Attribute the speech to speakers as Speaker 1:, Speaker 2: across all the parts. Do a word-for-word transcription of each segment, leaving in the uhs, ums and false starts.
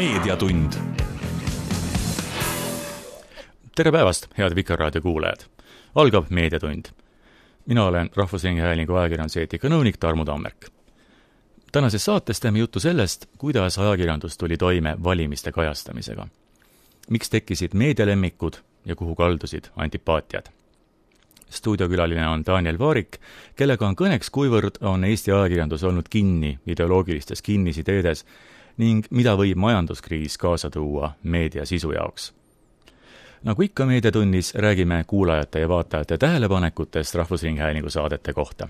Speaker 1: Meediatund. Tere päevast, head Vikerraadio kuulajad. Algab Meediatund. Mina olen Rahvusringhäälingu ajakirjanduseetika nõunik Tarmo Tammerk. Tänases saates teeme juttu sellest, kuidas ajakirjandus tuli toime valimiste kajastamisega. Miks tekkisid meedialemmikud ja kuhu kaldusid antipaatiad? Stuudiokülaline on Daniel Vaarik, kellega on kõneks, kuivõrd on Eesti ajakirjandus olnud kinni ideoloogilistes kinnisideedes ning mida võib majanduskriis kaasa tuua meedia sisu jaoks. Nagu ikka Meediatunnis, räägime kuulajate ja vaatajate tähelepanekutest Rahvusringhäälingu saadete kohta.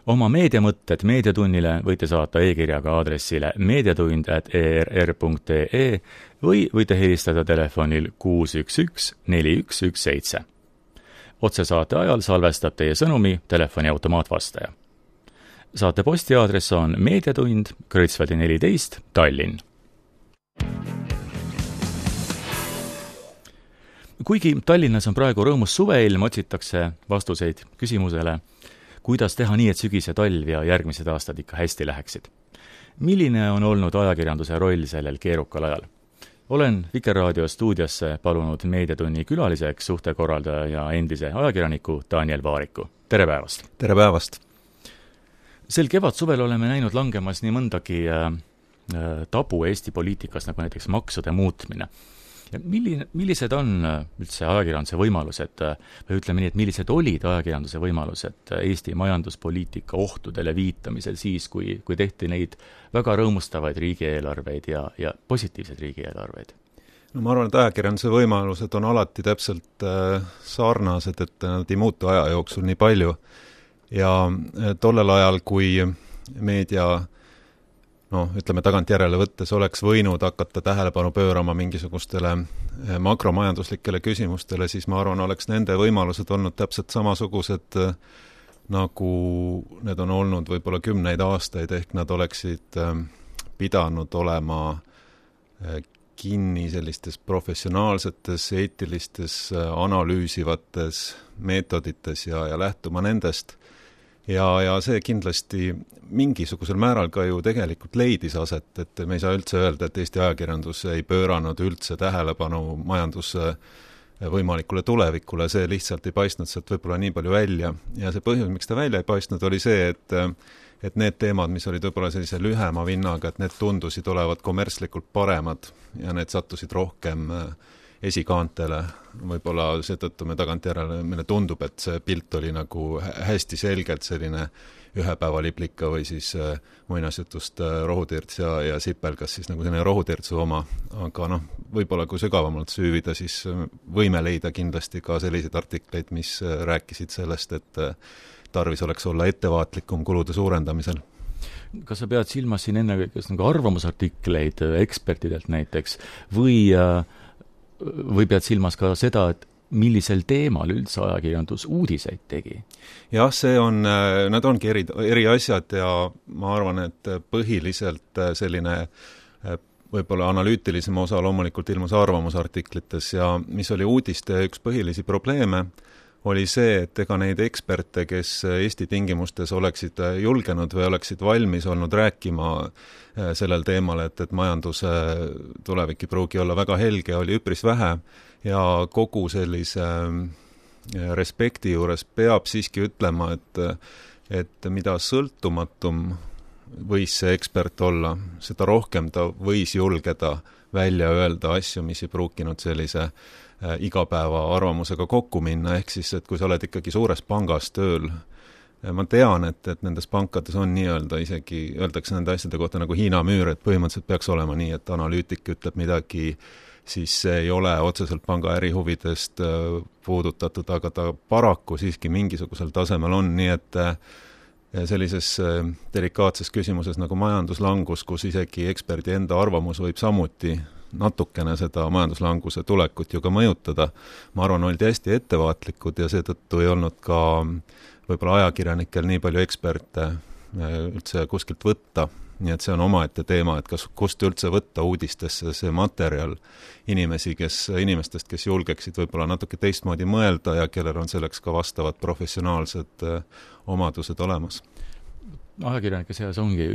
Speaker 1: Oma meediamõtted Meediatunnile võite saata e-kirjaga aadressile meediatund at e r r punkt e e või võite helistada telefonil kuus üks üks neli üks üks seitse. Otsesaate ajal salvestab teie sõnumi telefoni automaatvastaja. Saate postiaadress on Meediatund, Kreutzwaldi neliteist, Tallinn. Kuigi Tallinnas on praegu rõõmus suveilm, otsitakse vastuseid küsimusele, kuidas teha nii, et sügise talv ja järgmised aastad ikka hästi läheksid. Milline on olnud ajakirjanduse roll sellel keerukal ajal? Olen Vikerraadio stuudiosse palunud Meediatunni külaliseks suhtekorraldaja ja endise ajakirjaniku Daniel Vaariku. Tere päevast!
Speaker 2: Tere päevast!
Speaker 1: Sel kevad suvel oleme näinud langemas nii mõndagi äh, tabu Eesti poliitikas, nagu näiteks maksude muutmine. Ja milline, millised on üldse ajakirjanduse võimalused, või ütleme nii, et millised olid ajakirjanduse võimalused Eesti majanduspoliitika ohtudele viitamisel siis, kui, kui tehti neid väga rõõmustavaid riigieelarveid ja, ja positiivseid riigieelarveid?
Speaker 2: No ma arvan, et ajakirjanduse võimalused on alati täpselt sarnased, et nad ei muutu aja jooksul nii palju. Ja tollel ajal, kui meedia no, ütleme tagantjärele võttes, oleks võinud hakata tähelepanu pöörama mingisugustele makromajanduslikele küsimustele, siis ma arvan, oleks nende võimalused olnud täpselt samasugused, nagu need on olnud võib-olla kümneid aastaid, ehk nad oleksid pidanud olema kinni sellistes professionaalsetes, eetilistes, analüüsivates meetodites ja, ja lähtuma nendest. Ja, ja see kindlasti mingisugusel määral ka ju tegelikult leidis aset, et me ei saa üldse öelda, et Eesti ajakirjandus ei pööranud üldse tähelepanu majanduse võimalikule tulevikule, see lihtsalt ei paistnud sealt võib-olla nii palju välja. Ja see põhjus, miks ta välja ei paistnud, oli see, et, et need teemad, mis olid võib-olla sellise lühema vinnaga, et need tundusid olevat kommertslikult paremad ja need sattusid rohkem esikaantele. Võib-olla seetõttu me tagantjärele, meile tundub, et see pilt oli nagu hästi selgelt selline ühepäevaliplika või siis muinasjutust rohutirts ja, ja sipelgas siis nagu selline rohutirtsu oma. Aga noh, võib-olla kui sügavamalt süüvida, siis võime leida kindlasti ka selliseid artikleid, mis rääkisid sellest, et tarvis oleks olla ettevaatlikum kulude suurendamisel.
Speaker 1: Kas sa pead silmas siin enne kas nagu arvamusartikleid ekspertidelt näiteks või või pead silmas ka seda, et millisel teemal üldse ajakirjandus uudiseid tegi?
Speaker 2: Jah, see on, nad ongi eri, eri asjad ja ma arvan, et põhiliselt selline võib-olla analüütilisem osa loomulikult ilmus arvamusartiklites ja mis oli uudiste üks põhilisi probleeme, oli see, et ega neid eksperte, kes Eesti tingimustes oleksid julgenud või oleksid valmis olnud rääkima sellel teemal, et, et majanduse tulevik ei pruugi olla väga helge, oli üpris vähe ja kogu sellise respekti juures peab siiski ütlema, et, et mida sõltumatum võis see ekspert olla, seda rohkem ta võis julgeda välja öelda asju, mis ei pruukinud sellise igapäeva arvamusega kokku minna, ehk siis, et kui sa oled ikkagi suures pangas tööl, ma tean, et, et nendes pankades on nii-öelda isegi, öeldakse nende asjade kohta nagu Hiina müür, et põhimõtteliselt peaks olema nii, et analüütik ütleb midagi, siis see ei ole otseselt panga ärihuvidest puudutatud, aga ta paraku siiski mingisugusel tasemel on, nii et sellises delikaatses küsimuses nagu majanduslangus, kus isegi eksperdi enda arvamus võib samuti natukene seda majanduslanguse tulekut ju ka mõjutada. Ma arvan, olid hästi ettevaatlikud ja seetõttu ei olnud ka võib-olla ajakirjanikel nii palju eksperte üldse kuskilt võtta. Nii et see on omaette teema, et kas, kust üldse võtta uudistesse see materjal inimesi, kes, inimestest, kes julgeksid võib-olla natuke teistmoodi mõelda ja kellel on selleks ka vastavad professionaalsed omadused olemas.
Speaker 1: ajakirjanike seas ongi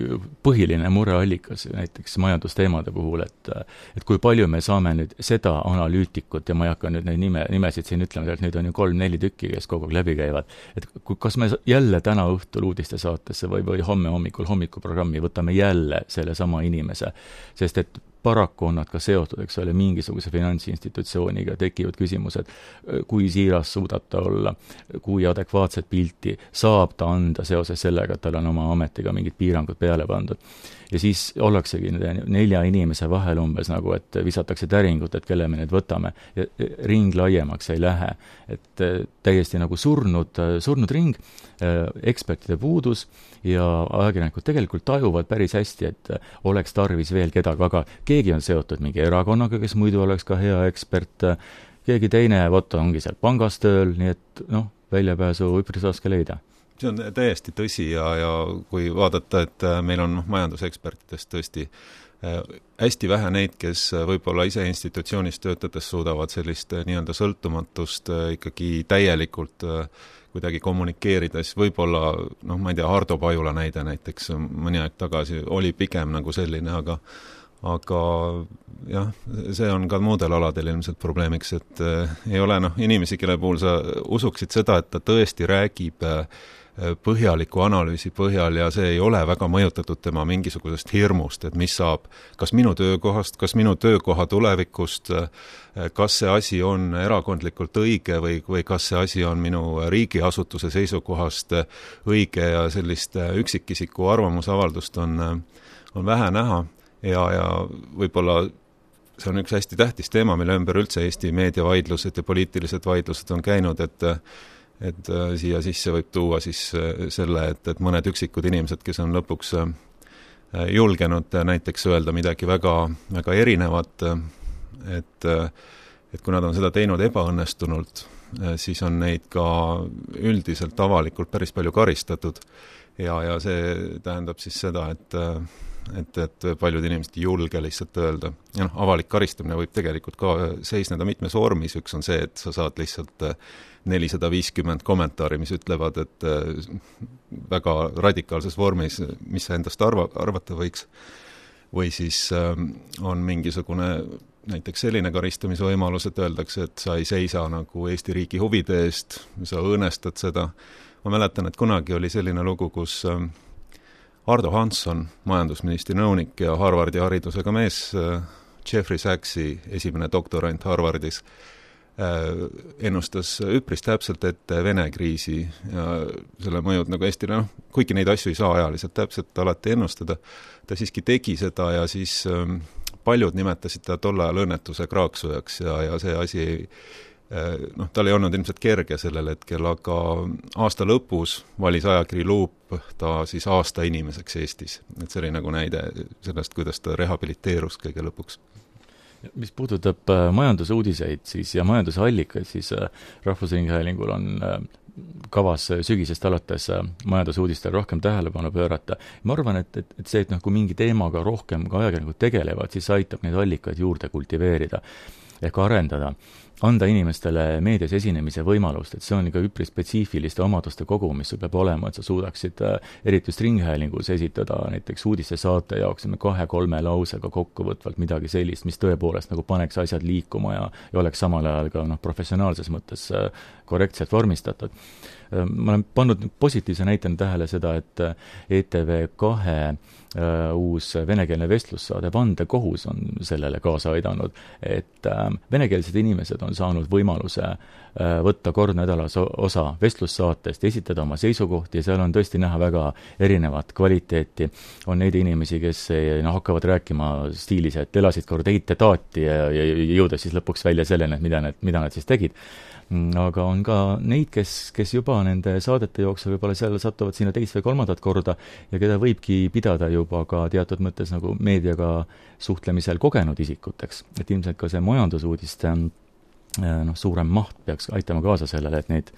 Speaker 1: põhiline mureallikas näiteks majandusteemade puhul, et et kui palju me saame nüüd seda analüütikut, ja ma ei hakka nüüd neid nime, nimesid siin ütlema, et neid on ju kolm-neli tükki, kes kogu aeg läbi käivad, et kas me jälle täna õhtul uudiste saatesse või, või homme hommikul hommikuprogrammi võtame jälle selle sama inimese, sest et paraku on nad ka seotud, eks ole, mingisuguse finantsinstitutsiooniga, tekivad küsimused, kui siiras suudab ta olla, kui adekvaatset pilti saab ta anda seoses sellega, et tal on oma ametiga mingid piirangud peale pandud. Ja siis ollaksegi nelja inimese vahel umbes nagu, et visatakse täringut, et kelle me nüüd võtame, ja ring laiemaks ei lähe. Et täiesti nagu surnud, surnud ring, ekspertide puudus, ja ajakirjanikud tegelikult tajuvad päris hästi, et oleks tarvis veel kedagi, aga keegi on seotud mingi erakonnaga, kes muidu oleks ka hea ekspert, keegi teine, vot ongi seal pangas tööl, nii et noh, väljapääsu üpris raske leida.
Speaker 2: See on täiesti tõsi ja, ja kui vaadata, et meil on majandusekspertidest tõesti hästi vähe neid, kes võib-olla ise institutsioonis töötades suudavad sellist nii-öelda sõltumatust ikkagi täielikult kuidagi kommunikeerida, siis võib-olla, noh, ma ei tea, Hardo Pajula näide näiteks mõni aeg tagasi oli pigem nagu selline, aga aga jah, see on ka muudel aladel ilmselt probleemiks, et ei ole noh, inimesi, kelle puhul sa usuksid seda, et ta tõesti räägib põhjaliku analüüsi põhjal ja see ei ole väga mõjutatud tema mingisugusest hirmust, et mis saab kas minu töökohast, kas minu töökoha tulevikust, kas see asi on erakondlikult õige või, või kas see asi on minu riigiasutuse seisukohast õige ja sellist üksikisiku arvamusavaldust on, on vähe näha ja, ja võib-olla see on üks hästi tähtis teema, mille ümber üldse Eesti meediavaidlused ja poliitilised vaidlused on käinud, et et siia sisse võib tuua siis selle, et, et mõned üksikud inimesed, kes on lõpuks julgenud näiteks öelda midagi väga, väga erinevat, et, et kui nad on seda teinud ebaõnnestunult, siis on neid ka üldiselt avalikult päris palju karistatud ja, ja see tähendab siis seda, et et, et paljud inimesed ei julge lihtsalt öelda. Ja noh, avalik karistamine võib tegelikult ka seisneda mitmes vormis, üks on see, et sa saad lihtsalt nelisada viiskümmend kommentaari, mis ütlevad, et väga radikaalses vormis, mis sa endast arva, arvata võiks, või siis on mingisugune näiteks selline karistamise võimalus, et öeldakse, et sa ei seisa nagu Eesti riigi huvide eest, sa õõnestad seda. Ma mäletan, et kunagi oli selline lugu, kus Ardo Hansson, majandusministri nõunik ja Harvardi haridusega mees, Jeffrey Sachsi esimene doktorant Harvardis, ennustas üpris täpselt ette Vene kriisi ja selle mõjud nagu Eestile, noh, kuigi neid asju ei saa ajaliselt täpselt alati ennustada, ta siiski tegi seda ja siis paljud nimetasid ta tol ajal õnnetuse kraaksujaks ja, ja see asi noh, tal ei olnud ilmselt kerge sellel hetkel, aga aasta lõpus valis ajakiri Luup ta siis aasta inimeseks Eestis. Et see oli nagu näide sellest, kuidas ta rehabiliteerus kõige lõpuks.
Speaker 1: Mis puudutab majandusuudiseid siis ja majandusallikaid, siis Rahvusringhäälingul on kavas sügisest alates majandusuudistel rohkem tähelepanu pöörata. Ma arvan, et, et, et see, et noh, kui mingi teemaga rohkem ka ajakirjanikud tegelevad, siis aitab neid allikaid juurde kultiveerida ehk arendada, anda inimestele meedias esinemise võimalust, et see on ikka üpris spetsiifiliste omaduste kogu, mis sul peab olema, et sa suudaksid eriti just Ringhäälingus esitada näiteks uudiste saate jaoks kahe-kolme lausega kokkuvõtvalt midagi sellist, mis tõepoolest nagu paneks asjad liikuma ja, ja oleks samal ajal ka noh, professionaalses mõttes korrektselt vormistatud. Ma olen pannud positiivse näitena tähele seda, et E T V kahe uus venekeelne vestlussaade Vandekohus on sellele kaasa aidanud, et venekeelsed inimesed on saanud võimaluse võtta kord nädalas osa vestlussaatest, esitada oma seisukohti ja seal on tõesti näha väga erinevat kvaliteeti. On neid inimesi, kes no, hakkavad rääkima stiilis, et elasid kord eite-taati ja, ja jõuda siis lõpuks välja selleni, et mida nad, mida nad siis tegid. Aga on ka neid, kes, kes juba nende saadete jooksul võib-olla seal satuvad sinna teist või kolmandat korda ja keda võibki pidada juba ka teatud mõttes nagu meediaga suhtlemisel kogenud isikuteks. Et ilmselt ka see majandusuudiste noh, suurem maht peaks aitama kaasa sellele, et neid,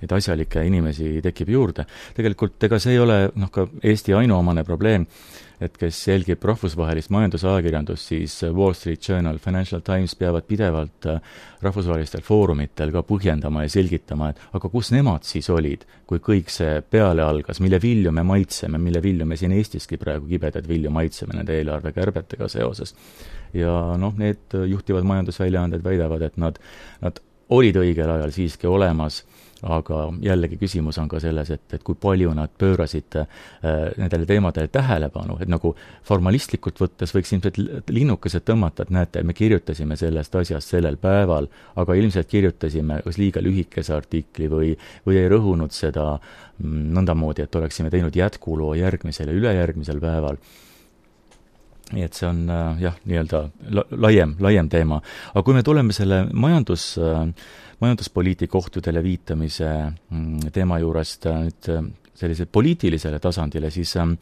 Speaker 1: neid asjalikke inimesi tekib juurde. Tegelikult ega see ei ole noh, ka Eesti ainuomane probleem. et kes jälgib rahvusvahelist majandusajakirjandust, siis Wall Street Journal, Financial Times peavad pidevalt rahvusvahelistel foorumitel ka põhjendama ja selgitama, et aga kus nemad siis olid, kui kõik see peale algas, mille vilju me maitseme, mille vilju me siin Eestiski praegu kibedaid vilju maitseme nende eelarvekärbetega seoses. Ja noh, need juhtivad majandusväljaanded väidavad, et nad, nad olid õigel ajal siiski olemas, aga jällegi küsimus on ka selles, et, et kui palju nad pöörasid äh, nendele teemadele tähelepanu, et nagu formalistlikult võttes võiks ilmselt linnukesed tõmmata, et näete, me kirjutasime sellest asjast sellel päeval, aga ilmselt kirjutasime kas liiga lühikese artikli või, või ei rõhunud seda nõndamoodi, et oleksime teinud jätkuloo järgmisel ja ülejärgmisel päeval. Nii et see on äh, jah, nii-öelda laiem, laiem teema. Aga kui me tuleme selle majandus, äh, majanduspoliitika ohtudele viitamise mm, teema juurest äh, nüüd äh, sellisele poliitilisele tasandile, siis äh,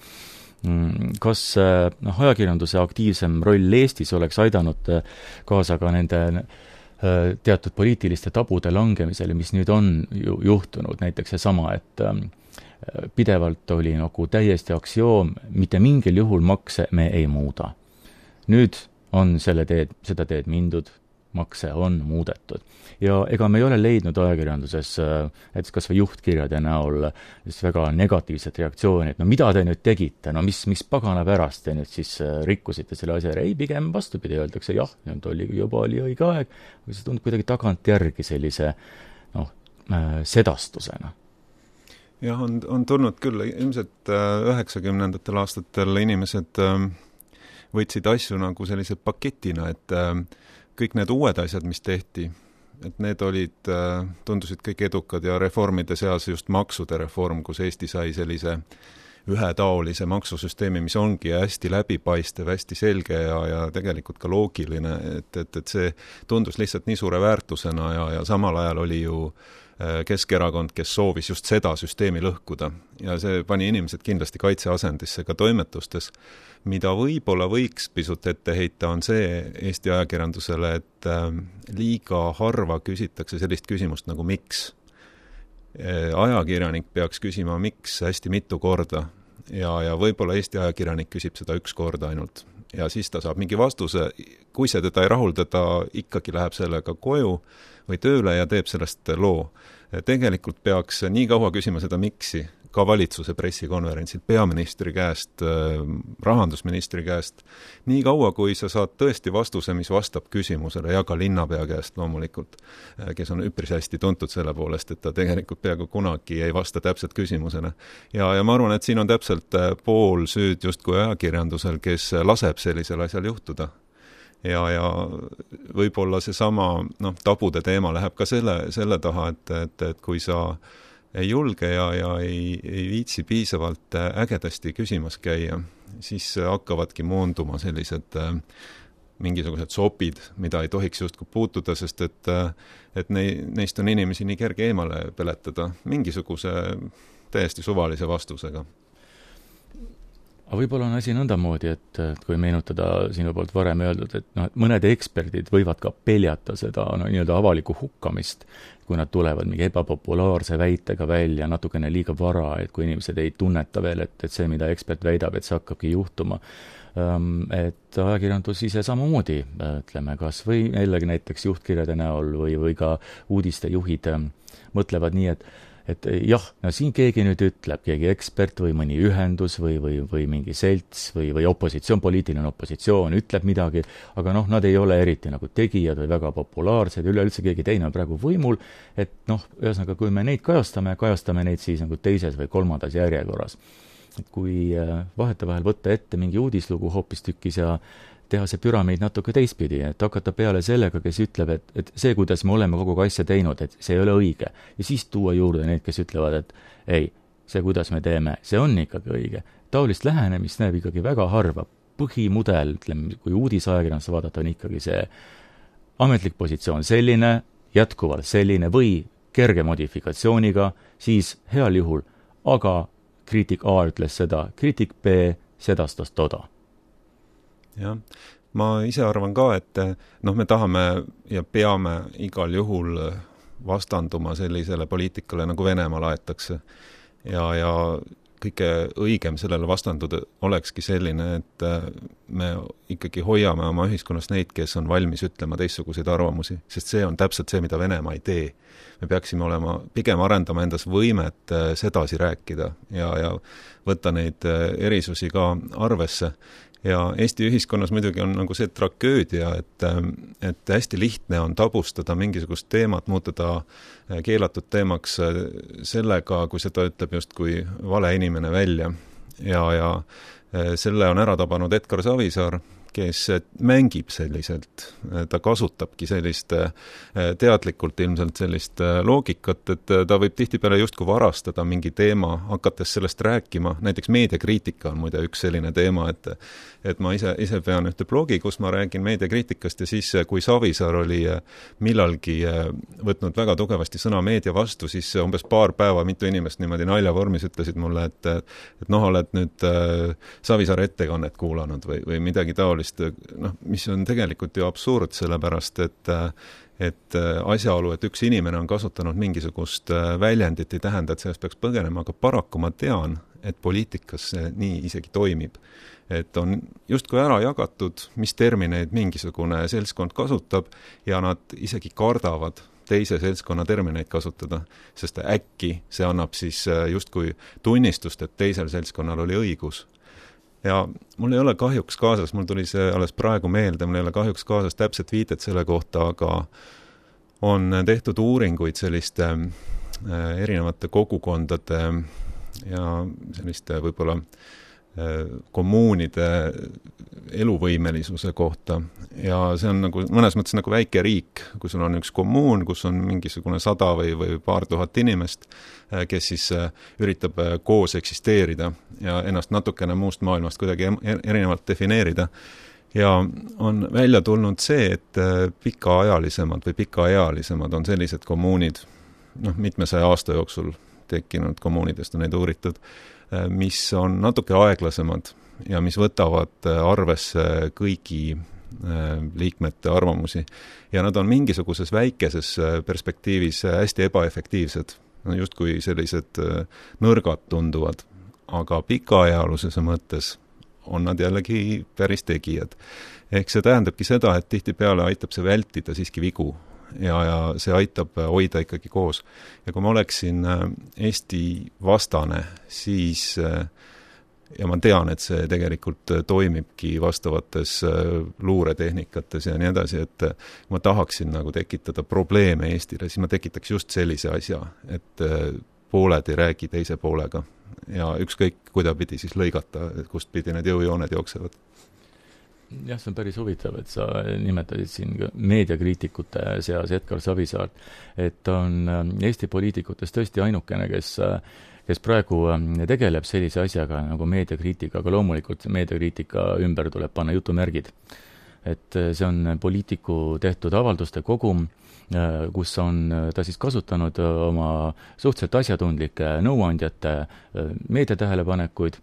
Speaker 1: kas äh, noh, ajakirjanduse aktiivsem roll Eestis oleks aidanud äh, kaasa ka nende äh, teatud poliitiliste tabude langemisele, mis nüüd on ju juhtunud, näiteks seesama, et äh, pidevalt oli nagu täiesti aktsioom, mitte mingil juhul makse me ei muuda. Nüüd on selle teed, seda teed mindud, makse on muudetud. Ja ega me ei ole leidnud ajakirjanduses, et kas või juhtkirjade näol väga negatiivset reaktsiooni, et no mida te nüüd tegite, no mis, mis pagana pärast te nüüd siis rikkusite selle asja, ei pigem vastupidi, öeldakse jah, nüüd oli juba oli õige aeg, või see tundub kuidagi tagant järgi sellise noh, sedastusena.
Speaker 2: Jah, on, on tulnud küll, ilmselt üheksakümnendatel aastatel inimesed võtsid asju nagu sellise paketina, et kõik need uued asjad, mis tehti, et need olid, tundusid kõik edukad ja reformide seas just maksude reform, kus Eesti sai sellise ühetaolise maksusüsteemi, mis ongi hästi läbipaistev, hästi selge ja, ja tegelikult ka loogiline, et, et, et see tundus lihtsalt nii suure väärtusena ja, ja samal ajal oli ju Keskerakond, kes soovis just seda süsteemi lõhkuda ja see pani inimesed kindlasti kaitseasendisse ka toimetustes. Mida võib-olla võiks pisut ette heita, on see Eesti ajakirjandusele, et liiga harva küsitakse sellist küsimust nagu miks. Ajakirjanik peaks küsima miks hästi mitu korda ja, ja võib-olla Eesti ajakirjanik küsib seda üks korda ainult ja siis ta saab mingi vastuse, kui see teda ei rahulda, ta ikkagi läheb sellega koju või tööle ja teeb sellest loo. Tegelikult peaks nii kaua küsima seda miksi, ka valitsuse pressikonverentsil, peaministri käest, rahandusministri käest, nii kaua, kui sa saad tõesti vastuse, mis vastab küsimusele ja ka linnapea käest loomulikult, kes on üpris hästi tuntud selle poolest, et ta tegelikult peaaegu kunagi ei vasta täpselt küsimusele. Ja, ja ma arvan, et siin on täpselt pool süüd justkui ajakirjandusel, kes laseb sellisel asjal juhtuda. Ja, ja võib-olla see sama noh, tabude teema läheb ka selle, selle taha, et, et, et kui sa ei julge ja, ja ei, ei viitsi piisavalt ägedasti küsimas käia, siis hakkavadki moonduma sellised mingisugused sopid, mida ei tohiks justkui puutuda, sest et, et ne, neist on inimesi nii kerge eemale peletada mingisuguse täiesti suvalise vastusega.
Speaker 1: Aga võib-olla on asi nõndamoodi, et, et kui meenutada sinu poolt varem öeldud, et noh, et mõned eksperdid võivad ka peljata seda no, nii-öelda avaliku hukkamist, kui nad tulevad mingi ebapopulaarse väitega välja natukene liiga vara, et kui inimesed ei tunneta veel, et, et see, mida ekspert väidab, et see hakkabki juhtuma. Et ajakirjandus ise samamoodi, ütleme, kas või jällegi näiteks juhtkirjade näol või, või ka uudistejuhid mõtlevad nii, et et jah, no siin keegi nüüd ütleb, keegi ekspert või mõni ühendus või, või, või mingi selts või, või opositsioon, poliitiline opositsioon ütleb midagi, aga noh, nad ei ole eriti nagu tegijad või väga populaarsed, üleüldse keegi teine on praegu võimul, et noh, ühesõnaga, kui me neid kajastame, kajastame neid siis nagu teises või kolmandas järjekorras. Et kui vahetevahel võtta ette mingi uudislugu hoopistükkis ja teha see püramiid natuke teistpidi, et hakata peale sellega, kes ütleb, et, et see, kuidas me oleme kogu asja teinud, et see ei ole õige. Ja siis tuua juurde need, kes ütlevad, et ei, see, kuidas me teeme, see on ikkagi õige. Taolist lähenemist näeb ikkagi väga harva. Põhimudel, ütleme, kui uudisajakirjanduse vaadata, on ikkagi see ametlik positsioon selline, jätkuvalt selline või kerge modifikatsiooniga, siis heal juhul, aga kriitik A ütles seda, kriitik B sedastas toda.
Speaker 2: Jah, ma ise arvan ka, et noh, me tahame ja peame igal juhul vastanduma sellisele poliitikale, nagu Venemaal aetakse. Ja, ja kõige õigem sellele vastanduda olekski selline, et me ikkagi hoiame oma ühiskonnas neid, kes on valmis ütlema teistsuguseid arvamusi, sest see on täpselt see, mida Venemaa ei tee. Me peaksime olema, pigem arendama endas võimet sedasi rääkida ja, ja võtta neid erisusi ka arvesse. Ja Eesti ühiskonnas muidugi on nagu see tragöödia, et, et hästi lihtne on tabustada mingisugust teemat, muutuda keelatud teemaks sellega, kui seda ütleb just kui vale inimene välja. Ja, ja selle on ära tabanud Edgar Savisaar, kes mängib selliselt, ta kasutabki sellist teadlikult ilmselt sellist loogikat, et ta võib tihtipeale justkui varastada mingi teema, hakates sellest rääkima, näiteks meediakriitika on muide üks selline teema, et, et ma ise, ise pean ühte blogi, kus ma räägin meediakriitikast ja siis, kui Savisaar oli millalgi võtnud väga tugevasti sõna meedia vastu, siis umbes paar päeva mitu inimest niimoodi naljavormis ütlesid mulle, et, et noh, oled nüüd Savisaare ettekannet kuulanud või, või midagi taolist. Noh, mis on tegelikult ju absurd, sellepärast, et, et asjaolu, et üks inimene on kasutanud mingisugust väljendit, ei tähenda, et sellest peaks põgenema, aga paraku ma tean, et poliitikas see nii isegi toimib. Et on justkui ära jagatud, mis termineid mingisugune seltskond kasutab ja nad isegi kardavad teise seltskonna termineid kasutada, sest äkki see annab siis justkui tunnistust, et teisel seltskonnal oli õigus. Ja mul ei ole kahjuks kaasas, mul tuli see alles praegu meelde, mul ei ole kahjuks kaasas täpselt viited selle kohta, aga on tehtud uuringuid selliste erinevate kogukondade ja selliste võib-olla kommuunide eluvõimelisuse kohta ja see on nagu mõnes mõttes nagu väike riik, kui sul on üks kommuun, kus on mingisugune sada või, või paar tuhat inimest, kes siis üritab koos eksisteerida ja ennast natukene muust maailmast kuidagi erinevalt defineerida. Ja on välja tulnud see, et pikaajalisemad või pikaealisemad on sellised kommuunid, noh, mitmesaja aasta jooksul tekkinud kommuunidest on neid uuritud, mis on natuke aeglasemad ja mis võtavad arvesse kõigi liikmete arvamusi. Ja nad on mingisuguses väikeses perspektiivis hästi ebaefektiivsed, justkui sellised nõrgad tunduvad, aga pikaajalusese mõttes on nad jällegi päris tegijad. Ehk see tähendabki seda, et tihtipeale aitab see vältida siiski vigu ja, ja see aitab hoida ikkagi koos. Ja kui ma oleksin Eesti vastane, siis, ja ma tean, et see tegelikult toimibki vastavates luuretehnikates ja nii edasi, et ma tahaksin nagu tekitada probleeme Eestile, siis ma tekitaks just sellise asja, et pooled ei räägi teise poolega ja ükskõik kuidapidi siis lõigata, kust pidi need jõujooned jooksevad.
Speaker 1: Jah, see on päris huvitav, et sa nimetasid siin meediakriitikute seas Edgar Savisaart, et on Eesti poliitikutest tõesti ainukene, kes, kes praegu tegeleb sellise asjaga nagu meediakriitika, aga loomulikult meediakriitika ümber tuleb panna jutumärgid. Et see on poliitiku tehtud avalduste kogum, kus on ta siis kasutanud oma suhteliselt asjatundlike nõuandjate meediatähelepanekuid,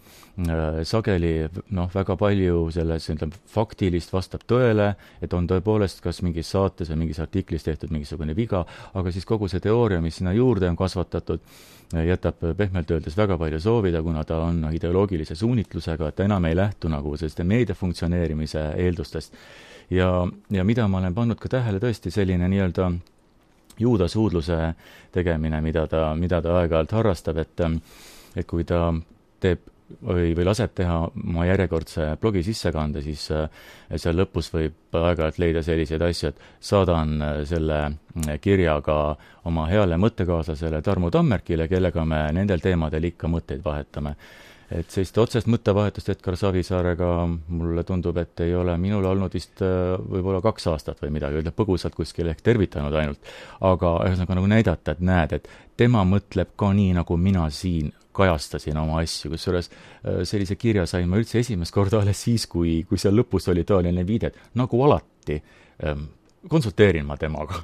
Speaker 1: sageli noh, väga palju selles ütleme, faktilist vastab tõele, et on tõepoolest kas mingis saates või mingis artiklis tehtud mingisugune viga, aga siis kogu see teooria, mis sinna juurde on kasvatatud, jätab pehmelt öeldes väga palju soovida, kuna ta on ideoloogilise suunitlusega, et ta enam ei lähtu nagu selliste meedia funktsioneerimise eeldustest. Ja, ja mida ma olen pannud ka tähele tõesti selline nii-öelda juudasuudluse tegemine, mida ta, mida ta aeg-ajalt harrastab, et, et kui ta teeb või, või laseb teha oma järjekordse blogi sissekande, siis seal lõpus võib aeg-ajalt leida selliseid asju, et saadan selle kirjaga oma heale mõttekaaslasele Tarmo Tammerkile, kellega me nendel teemadel ikka mõtteid vahetame. Et sellist otsest mõttevahetust Edgar Savisaarega mulle tundub, et ei ole minul olnud vist võib-olla kaks aastat või midagi, ütleb põgusalt kuskil ehk tervitanud ainult. Aga ühesõnaga nagu näidata, et näed, et tema mõtleb ka nii, nagu mina siin kajastasin oma asju, kusjuures sellise kirja sain ma üldse esimest korda alles siis, kui, kui seal lõpus oli taoline viide, nagu alati konsulteerin ma temaga.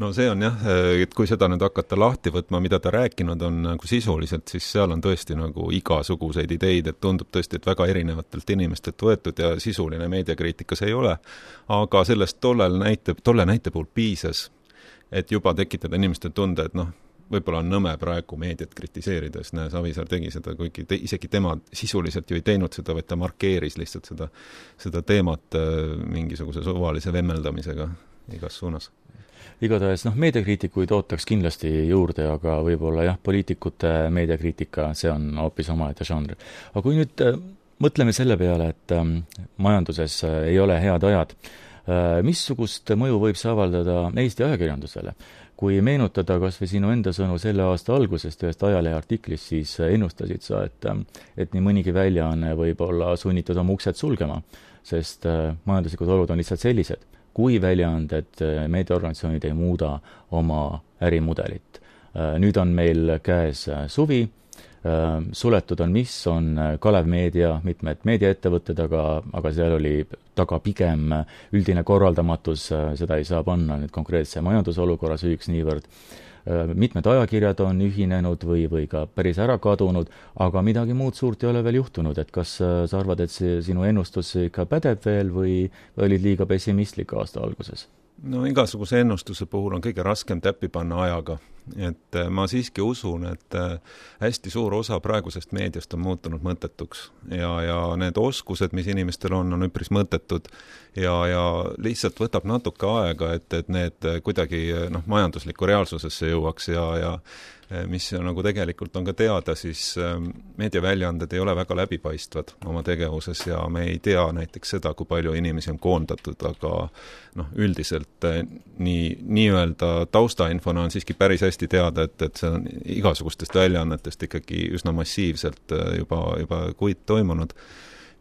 Speaker 2: No see on jah, et kui seda nüüd hakata lahti võtma, mida ta rääkinud on nagu sisuliselt, siis seal on tõesti nagu igasuguseid ideid, et tundub tõesti, et väga erinevatelt inimestelt võetud ja sisuline meediakriitikas ei ole, aga sellest tollel näite, tolle näite puhul piisas, et juba tekitada inimeste tunde, et noh, võib-olla on nõme praegu meediat kritiseerides, näe, Savisaar tegi seda, kuigi te, isegi tema sisuliselt ju ei teinud seda, vaid ta markeeris lihtsalt seda, seda teemat mingisuguse suvalise vemmeldamisega igas suunas.
Speaker 1: Igatahes, noh, meediakriitikuid ootaks kindlasti juurde, aga võib-olla jah, poliitikute meediakriitika, see on hoopis omaette žanr. Aga kui nüüd mõtleme selle peale, et majanduses ei ole head ajad, missugust mõju võib see avaldada Eesti ajakirjandusele? Kui meenutada kas või sinu enda sõnu selle aasta algusest ühest ajalehe artiklist, siis ennustasid sa, et, et nii mõnigi väljaanne võib olla sunnitud oma uksed sulgema, sest majanduslikud olud on lihtsalt sellised, kui väljaanded, meediaorganisatsioonid ei muuda oma ärimudelit. Nüüd on meil käes suvi, suletud on mis, on Kalev Meedia, mitmed meediaettevõtted, aga, aga seal oli taga pigem üldine korraldamatus, seda ei saa panna nüüd konkreetse majandusolukorra süüks niivõrd. Mitmed ajakirjad on ühinenud või, või ka päris ära kadunud, aga midagi muud suurt ei ole veel juhtunud, et kas sa arvad, et see sinu ennustus ikka pädeb veel või, või olid liiga pessimistlik aasta alguses?
Speaker 2: No igasuguse ennustuse puhul on kõige raskem täppi panna ajaga, et ma siiski usun, et hästi suur osa praegusest meediast on muutunud mõttetuks ja, ja need oskused, mis inimestel on, on üpris mõttetud ja, ja lihtsalt võtab natuke aega, et, et need kuidagi noh, majanduslikku reaalsusesse jõuaks ja, ja mis nagu tegelikult on ka teada, siis meediaväljaanded ei ole väga läbipaistvad oma tegevuses ja me ei tea näiteks seda, kui palju inimesi on koondatud, aga noh, üldiselt nii, nii-öelda taustainfona on siiski päris hästi teada, et, et see on igasugustest väljaannetest ikkagi üsna massiivselt juba, juba kuid toimunud.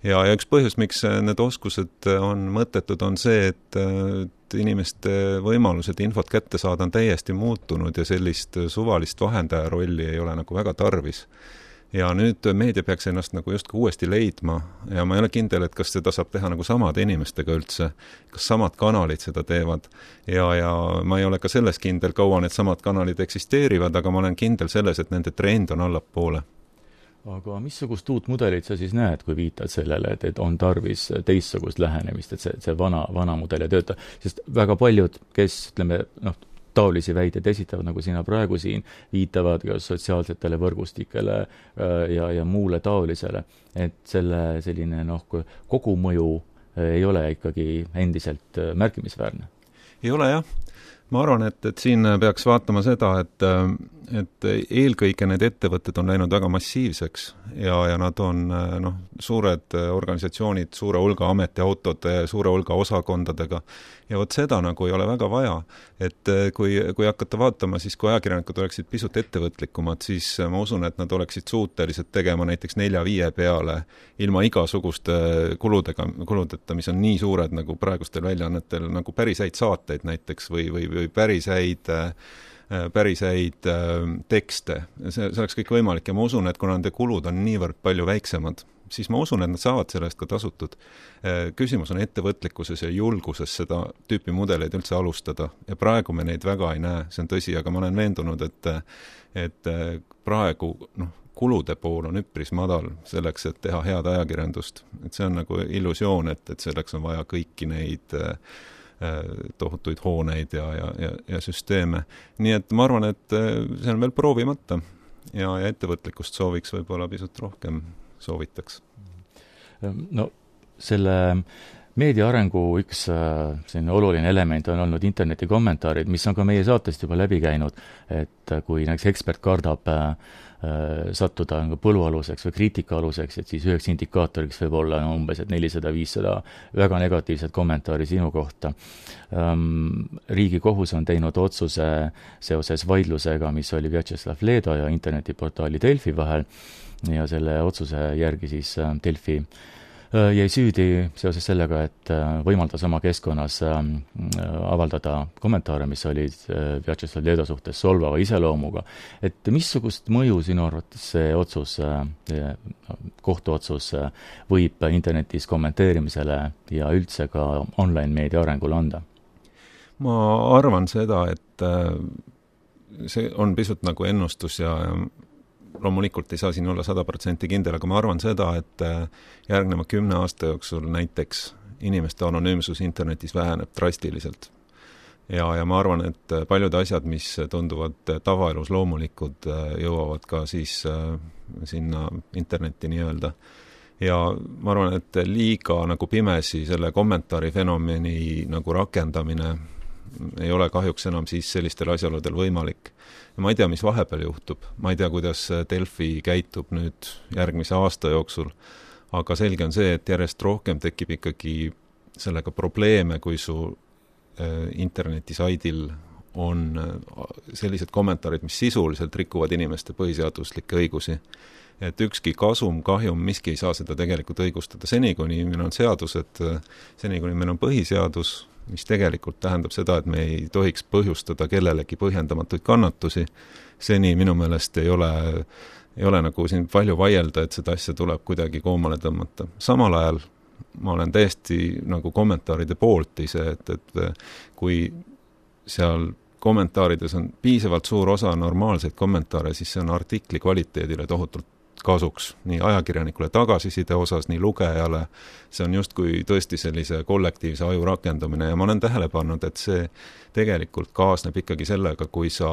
Speaker 2: Ja, ja üks põhjus, miks need oskused on mõttetud, on see, et, et inimeste võimalused infot kätte saada on täiesti muutunud ja sellist suvalist vahendaja rolli ei ole nagu väga tarvis. Ja nüüd meedia peaks ennast nagu justkui uuesti leidma ja ma ei ole kindel, et kas seda saab teha nagu samade inimestega üldse, kas samad kanalid seda teevad ja, ja ma ei ole ka selles kindel, kaua need samad kanalid eksisteerivad, aga ma olen kindel selles, et nende trend on allapoole.
Speaker 1: Aga missugust uut mudelit sa siis näed, kui viitad sellele, et, et on tarvis teistsugust lähenemist, et see, see vana, vana mudel ei tööta? Sest väga paljud, kes, ütleme, noh, taolisi väiteid esitavad, nagu sina praegu siin, viitavad ka sotsiaalsetele võrgustikele ja, ja muule taolisele, et selle selline, noh, kogumõju ei ole ikkagi endiselt märkimisväärne.
Speaker 2: Ei ole, jah. Ma arvan, et, et siin peaks vaatama seda, et, et eelkõige need ettevõtted on läinud väga massiivseks ja, ja nad on noh, suured organisatsioonid, suure hulga ametiautode, suure hulga osakondadega ja vot seda nagu ei ole väga vaja, et kui, kui hakata vaatama, siis kui ajakirjanikud oleksid pisut ettevõtlikumad, siis ma usun, et nad oleksid suutelised tegema näiteks nelja-viie peale ilma igasuguste kuludega, kuludeta, mis on nii suured nagu praegustel väljaannetel, nagu päris häid saateid näiteks või, või, või päris häid päris häid tekste. See, see oleks kõik võimalik ja ma usun, et kuna nende kulud on niivõrd palju väiksemad, siis ma usun, et nad saavad sellest ka tasutud. Küsimus on ettevõtlikkuses ja julguses seda tüüpi mudeleid üldse alustada ja praegu me neid väga ei näe, see on tõsi, aga ma olen veendunud, et, et praegu noh, kulude pool on üpris madal selleks, et teha head ajakirjandust. Et see on nagu illusioon, et, et selleks on vaja kõiki neid tohutuid hooneid ja, ja, ja, ja süsteeme. Nii et ma arvan, et see on veel proovimata ja, ja ettevõtlikkust sooviks võib-olla pisut rohkem soovitaks.
Speaker 1: No selle meedia arengu üks selline oluline element on olnud interneti kommentaarid, mis on ka meie saatest juba läbi käinud, et kui näiteks ekspert kardab sattuda põlualuseks või kriitikaaluseks, et siis üheks indikaatoriks võib olla no, umbes et nelisada viissada väga negatiivset kommentaari sinu kohta. Riigikohus on teinud otsuse seoses vaidlusega, mis oli Vjatšeslav Ledo ja internetiportaali Delfi vahel ja selle otsuse järgi siis Delfi jäi süüdi seoses sellega, et võimaldas oma keskkonnas avaldada kommentaare, mis olid Vjatšeslav Ledo suhtes solvava iseloomuga. Et missugust mõju sinu arvates see otsus, kohtuotsus võib internetis kommenteerimisele ja üldse ka online-meedia arengule anda?
Speaker 2: Ma arvan seda, et see on pisut nagu ennustus ja loomulikult ei saa siin olla sada protsenti kindel, aga ma arvan seda, et järgneva kümne aasta jooksul näiteks inimeste anonüümsus internetis väheneb drastiliselt. ja, ja ma arvan, et paljud asjad, mis tunduvad tavaelus loomulikud, jõuavad ka siis sinna internetti nii-öelda. Ja ma arvan, et liiga nagu pimesi selle kommentaari fenomeni nagu rakendamine ei ole kahjuks enam siis sellistel asjaoludel võimalik. Ja ma ei tea, mis vahepeal juhtub. Ma ei tea, kuidas Delfi käitub nüüd järgmise aasta jooksul, aga selge on see, et järjest rohkem tekib ikkagi sellega probleeme, kui su internetisaidil on sellised kommentaarid, mis sisuliselt rikuvad inimeste põhiseaduslikke õigusi. Et ükski kasum, kahjum, miski ei saa seda tegelikult õigustada. Seni, kuni meil on seadused, seni, kuni meil on põhiseadus, mis tegelikult tähendab seda, et me ei tohiks põhjustada kellelegi põhjendamatuid kannatusi. Seni minu meelest ei ole, ei ole nagu siin palju vaielda, et seda asja tuleb kuidagi koomale tõmmata. Samal ajal ma olen täiesti nagu kommentaaride poolt ise, et, et kui seal kommentaarides on piisavalt suur osa normaalseid kommentaare, siis see on artikli kvaliteedile tohutult kasuks, nii ajakirjanikule tagasiside osas, nii lugejale, see on justkui tõesti sellise kollektiivse aju rakendamine ja ma olen tähele pannud, et see tegelikult kaasneb ikkagi sellega, kui sa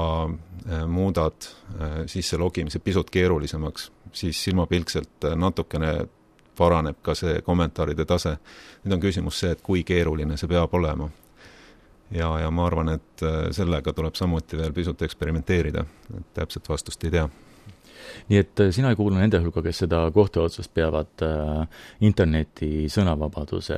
Speaker 2: muudad sisse logimise pisut keerulisemaks, siis silmapilkselt natukene paraneb ka see kommentaaride tase. Nüüd on küsimus see, et kui keeruline see peab olema. Ja, ja ma arvan, et sellega tuleb samuti veel pisut eksperimenteerida, et täpselt vastust ei tea.
Speaker 1: Nii et sina ei kuulu nende hulka, kes seda kohtuotsust peavad interneti sõnavabaduse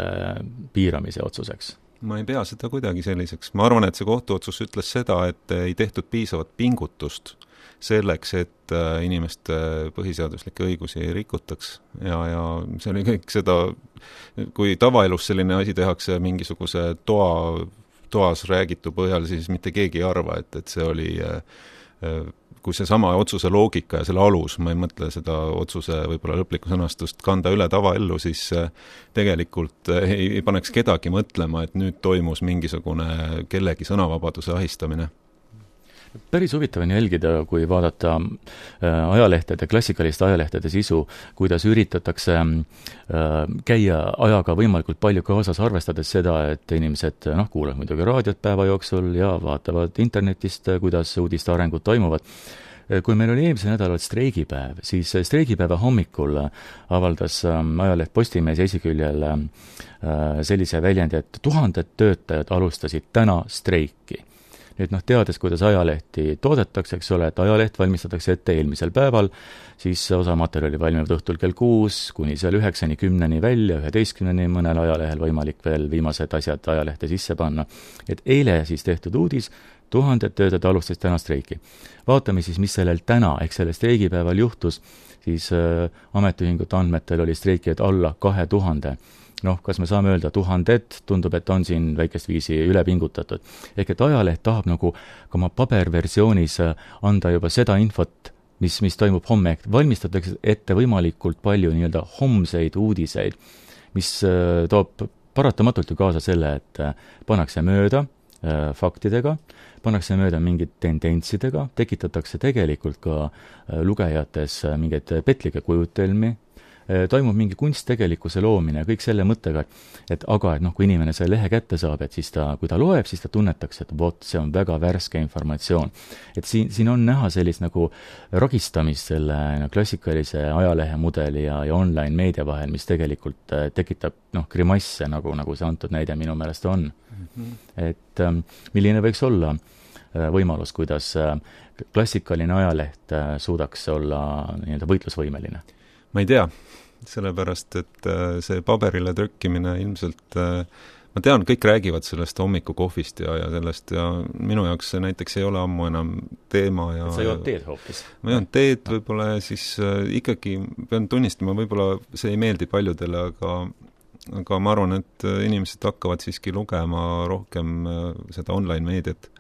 Speaker 1: piiramise otsuseks?
Speaker 2: Ma ei pea seda kuidagi selliseks. Ma arvan, et see kohtuotsus ütles seda, et ei tehtud piisavat pingutust selleks, et inimeste põhiseaduslikke õigusi ei rikutaks. Ja, ja see oli kõik seda, kui tavaelus selline asi tehakse mingisuguse toa, toas räägitu põhjal, siis mitte keegi ei arva, et, et see oli kui see sama otsuse loogika ja selle alus, ma ei mõtle seda otsuse võib-olla lõplikku sõnastust kanda üle tavaellu, siis tegelikult ei, ei paneks kedagi mõtlema, et nüüd toimus mingisugune kellegi sõnavabaduse ahistamine.
Speaker 1: Päris huvitav on jälgida, kui vaadata ajalehtede, klassikaliste ajalehtede sisu, kuidas üritatakse käia ajaga võimalikult palju kaasas, arvestades seda, et inimesed noh, kuulevad muidugi raadiot päeva jooksul ja vaatavad internetist, kuidas uudiste arengud toimuvad. Kui meil oli eelmise nädalal streigipäev, siis streigipäeva hommikul avaldas ajaleht Postimees esiküljel sellise väljendi, et tuhanded töötajad alustasid täna streiki. Nüüd noh, teades, kuidas ajalehti toodetakse, eks ole, et ajaleht valmistatakse ette eelmisel päeval, siis osa materjali valmivad õhtul kell kuus, kuni seal üheksani, kümneni välja, üheteistkümneni mõnel ajalehel võimalik veel viimased asjad ajalehte sisse panna. Et eile siis tehtud uudis, tuhanded töötajad alustasid täna streiki. Vaatame siis, mis sellel täna, ehk sellel streigipäeval juhtus, siis äh, ametiühingute andmetel oli streikijaid alla kahe tuhande. Noh, kas me saame öelda tuhandet, tundub, et on siin väikest viisi üle pingutatud. Ehk et ajaleht tahab nagu ka oma paberversioonis anda juba seda infot, mis, mis toimub homme. Valmistatakse ette võimalikult palju nii-öelda homseid uudiseid, mis äh, toob paratamatult ju kaasa selle, et äh, pannakse mööda äh, faktidega, pannakse mööda mingid tendentsidega, tekitatakse tegelikult ka äh, lugejates äh, mingeid petlike kujutelmi, toimub mingi kunsttegelikkuse loomine ja kõik selle mõttega, et aga, et noh, kui inimene selle lehe kätte saab, et siis ta, kui ta loeb, siis ta tunnetaks, et vot, see on väga värske informatsioon. Et siin, siin on näha sellist nagu ragistamist selle no, klassikalise ajalehe mudeli ja, ja online meedia vahel, mis tegelikult tekitab noh, grimasse, nagu, nagu see antud näide minu meelest on. Mm-hmm. Et ähm, milline võiks olla äh, võimalus, kuidas äh, klassikaline ajaleht äh, suudaks olla nii-öelda võitlusvõimeline?
Speaker 2: Ma ei tea, sellepärast, et see paberile trükkimine ilmselt, ma tean, kõik räägivad sellest hommikukohvist ja, ja sellest ja minu jaoks see näiteks ei ole ammu enam teema. Ja,
Speaker 1: et sa jood teed hoopis?
Speaker 2: Ma joon teed võib-olla ja siis ikkagi pean tunnistama, võib-olla see ei meeldi paljudele, aga, aga ma arvan, et inimesed hakkavad siiski lugema rohkem seda online meediat.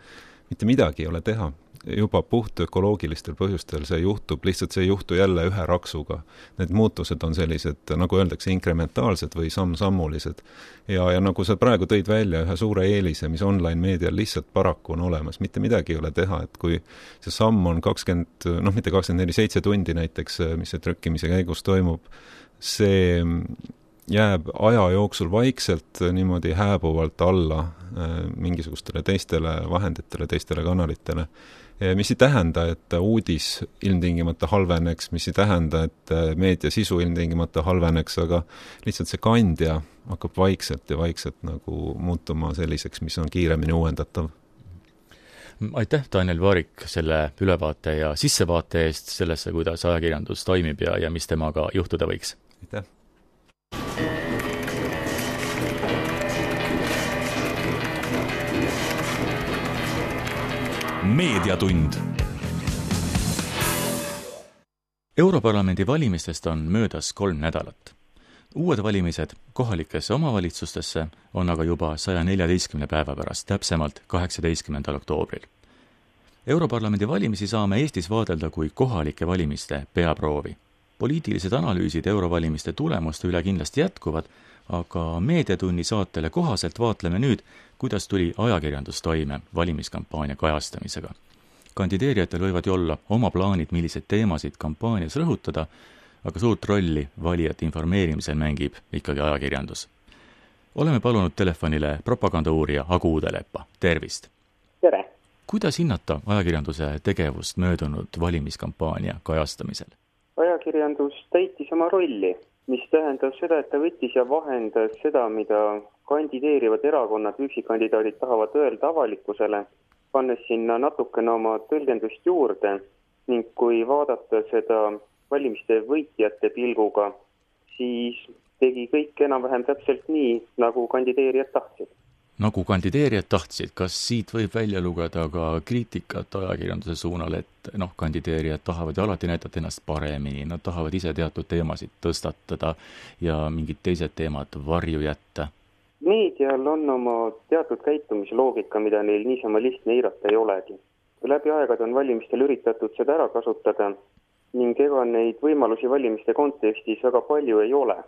Speaker 2: Mitte midagi ei ole teha. Juba puht ökoloogilistel põhjustel see juhtub, lihtsalt see ei juhtu jälle ühe raksuga. Need muutused on sellised, nagu öeldakse, inkrementaalsed või samm-sammulised. Ja, ja nagu sa praegu tõid välja ühe suure eelise, mis online meedial lihtsalt paraku on olemas, mitte midagi ei ole teha, et kui see samm on kakskümmend, noh mitte kakskümmend neli, seitse tundi näiteks, mis see trükkimise käigus toimub, see jääb aja jooksul vaikselt niimoodi hääbuvalt alla mingisugustele teistele vahenditele, teistele kanalitele, mis ei tähenda, et uudis ilmtingimata halveneks, mis ei tähenda, et meedia sisu ilmtingimata halveneks, aga lihtsalt see kandja hakkab vaikselt ja vaikselt nagu muutuma selliseks, mis on kiiremini uuendatav.
Speaker 1: Aitäh, Daniel Vaarik, selle ülevaate ja sissevaate eest sellesse, kuidas ajakirjandus toimib ja, ja mis temaga juhtuda võiks.
Speaker 2: Aitäh!
Speaker 1: Meediatund. Europarlamendi valimistest on möödas kolm nädalat. Uued valimised kohalikesse omavalitsustesse on aga juba saja neljateistkümne päeva pärast, täpsemalt kaheksateistkümnendal oktoobril. Europarlamendi valimisi saame Eestis vaadelda kui kohalike valimiste peaproovi. Poliitilised analüüsid eurovalimiste tulemuste üle kindlasti jätkuvad, aga Meediatunni saatele kohaselt vaatleme nüüd, kuidas tuli ajakirjandus toime valimiskampaania kajastamisega. Kandideerijatel võivad ju olla oma plaanid, milliseid teemasid kampaanias rõhutada, aga suurt rolli valijate informeerimisel mängib ikkagi ajakirjandus. Oleme palunud telefonile propagandauurija Agu Uudeleppa. Tervist!
Speaker 3: Tere!
Speaker 1: Kuidas hinnata ajakirjanduse tegevust möödunud valimiskampaania kajastamisel?
Speaker 3: Ajakirjandus täitis oma rolli, mis tähendab seda, et ta võttis ja vahendas seda, mida kandideerivad erakonnad, üksikkandidaadid tahavad öelda avalikkusele, pannes sinna natukene oma tõlgendust juurde ning kui vaadata seda valimiste võitjate pilguga, siis tegi kõik enam-vähem täpselt nii, nagu kandideerijad tahtsid.
Speaker 1: Nagu kandideerijad tahtsid, kas siit võib välja lugeda ka kriitikat ajakirjanduse suunal, et noh, kandideerijad tahavad ja alati näidata ennast paremini, nad tahavad ise teatud teemasid tõstatada ja mingid teised teemad varju jätta?
Speaker 3: Meedial on oma teatud käitumisloogika, mida neil niisama lihtne eirata ei olegi. Läbi aegade on valimistel üritatud seda ära kasutada ning ega neid võimalusi valimiste kontekstis väga palju ei ole.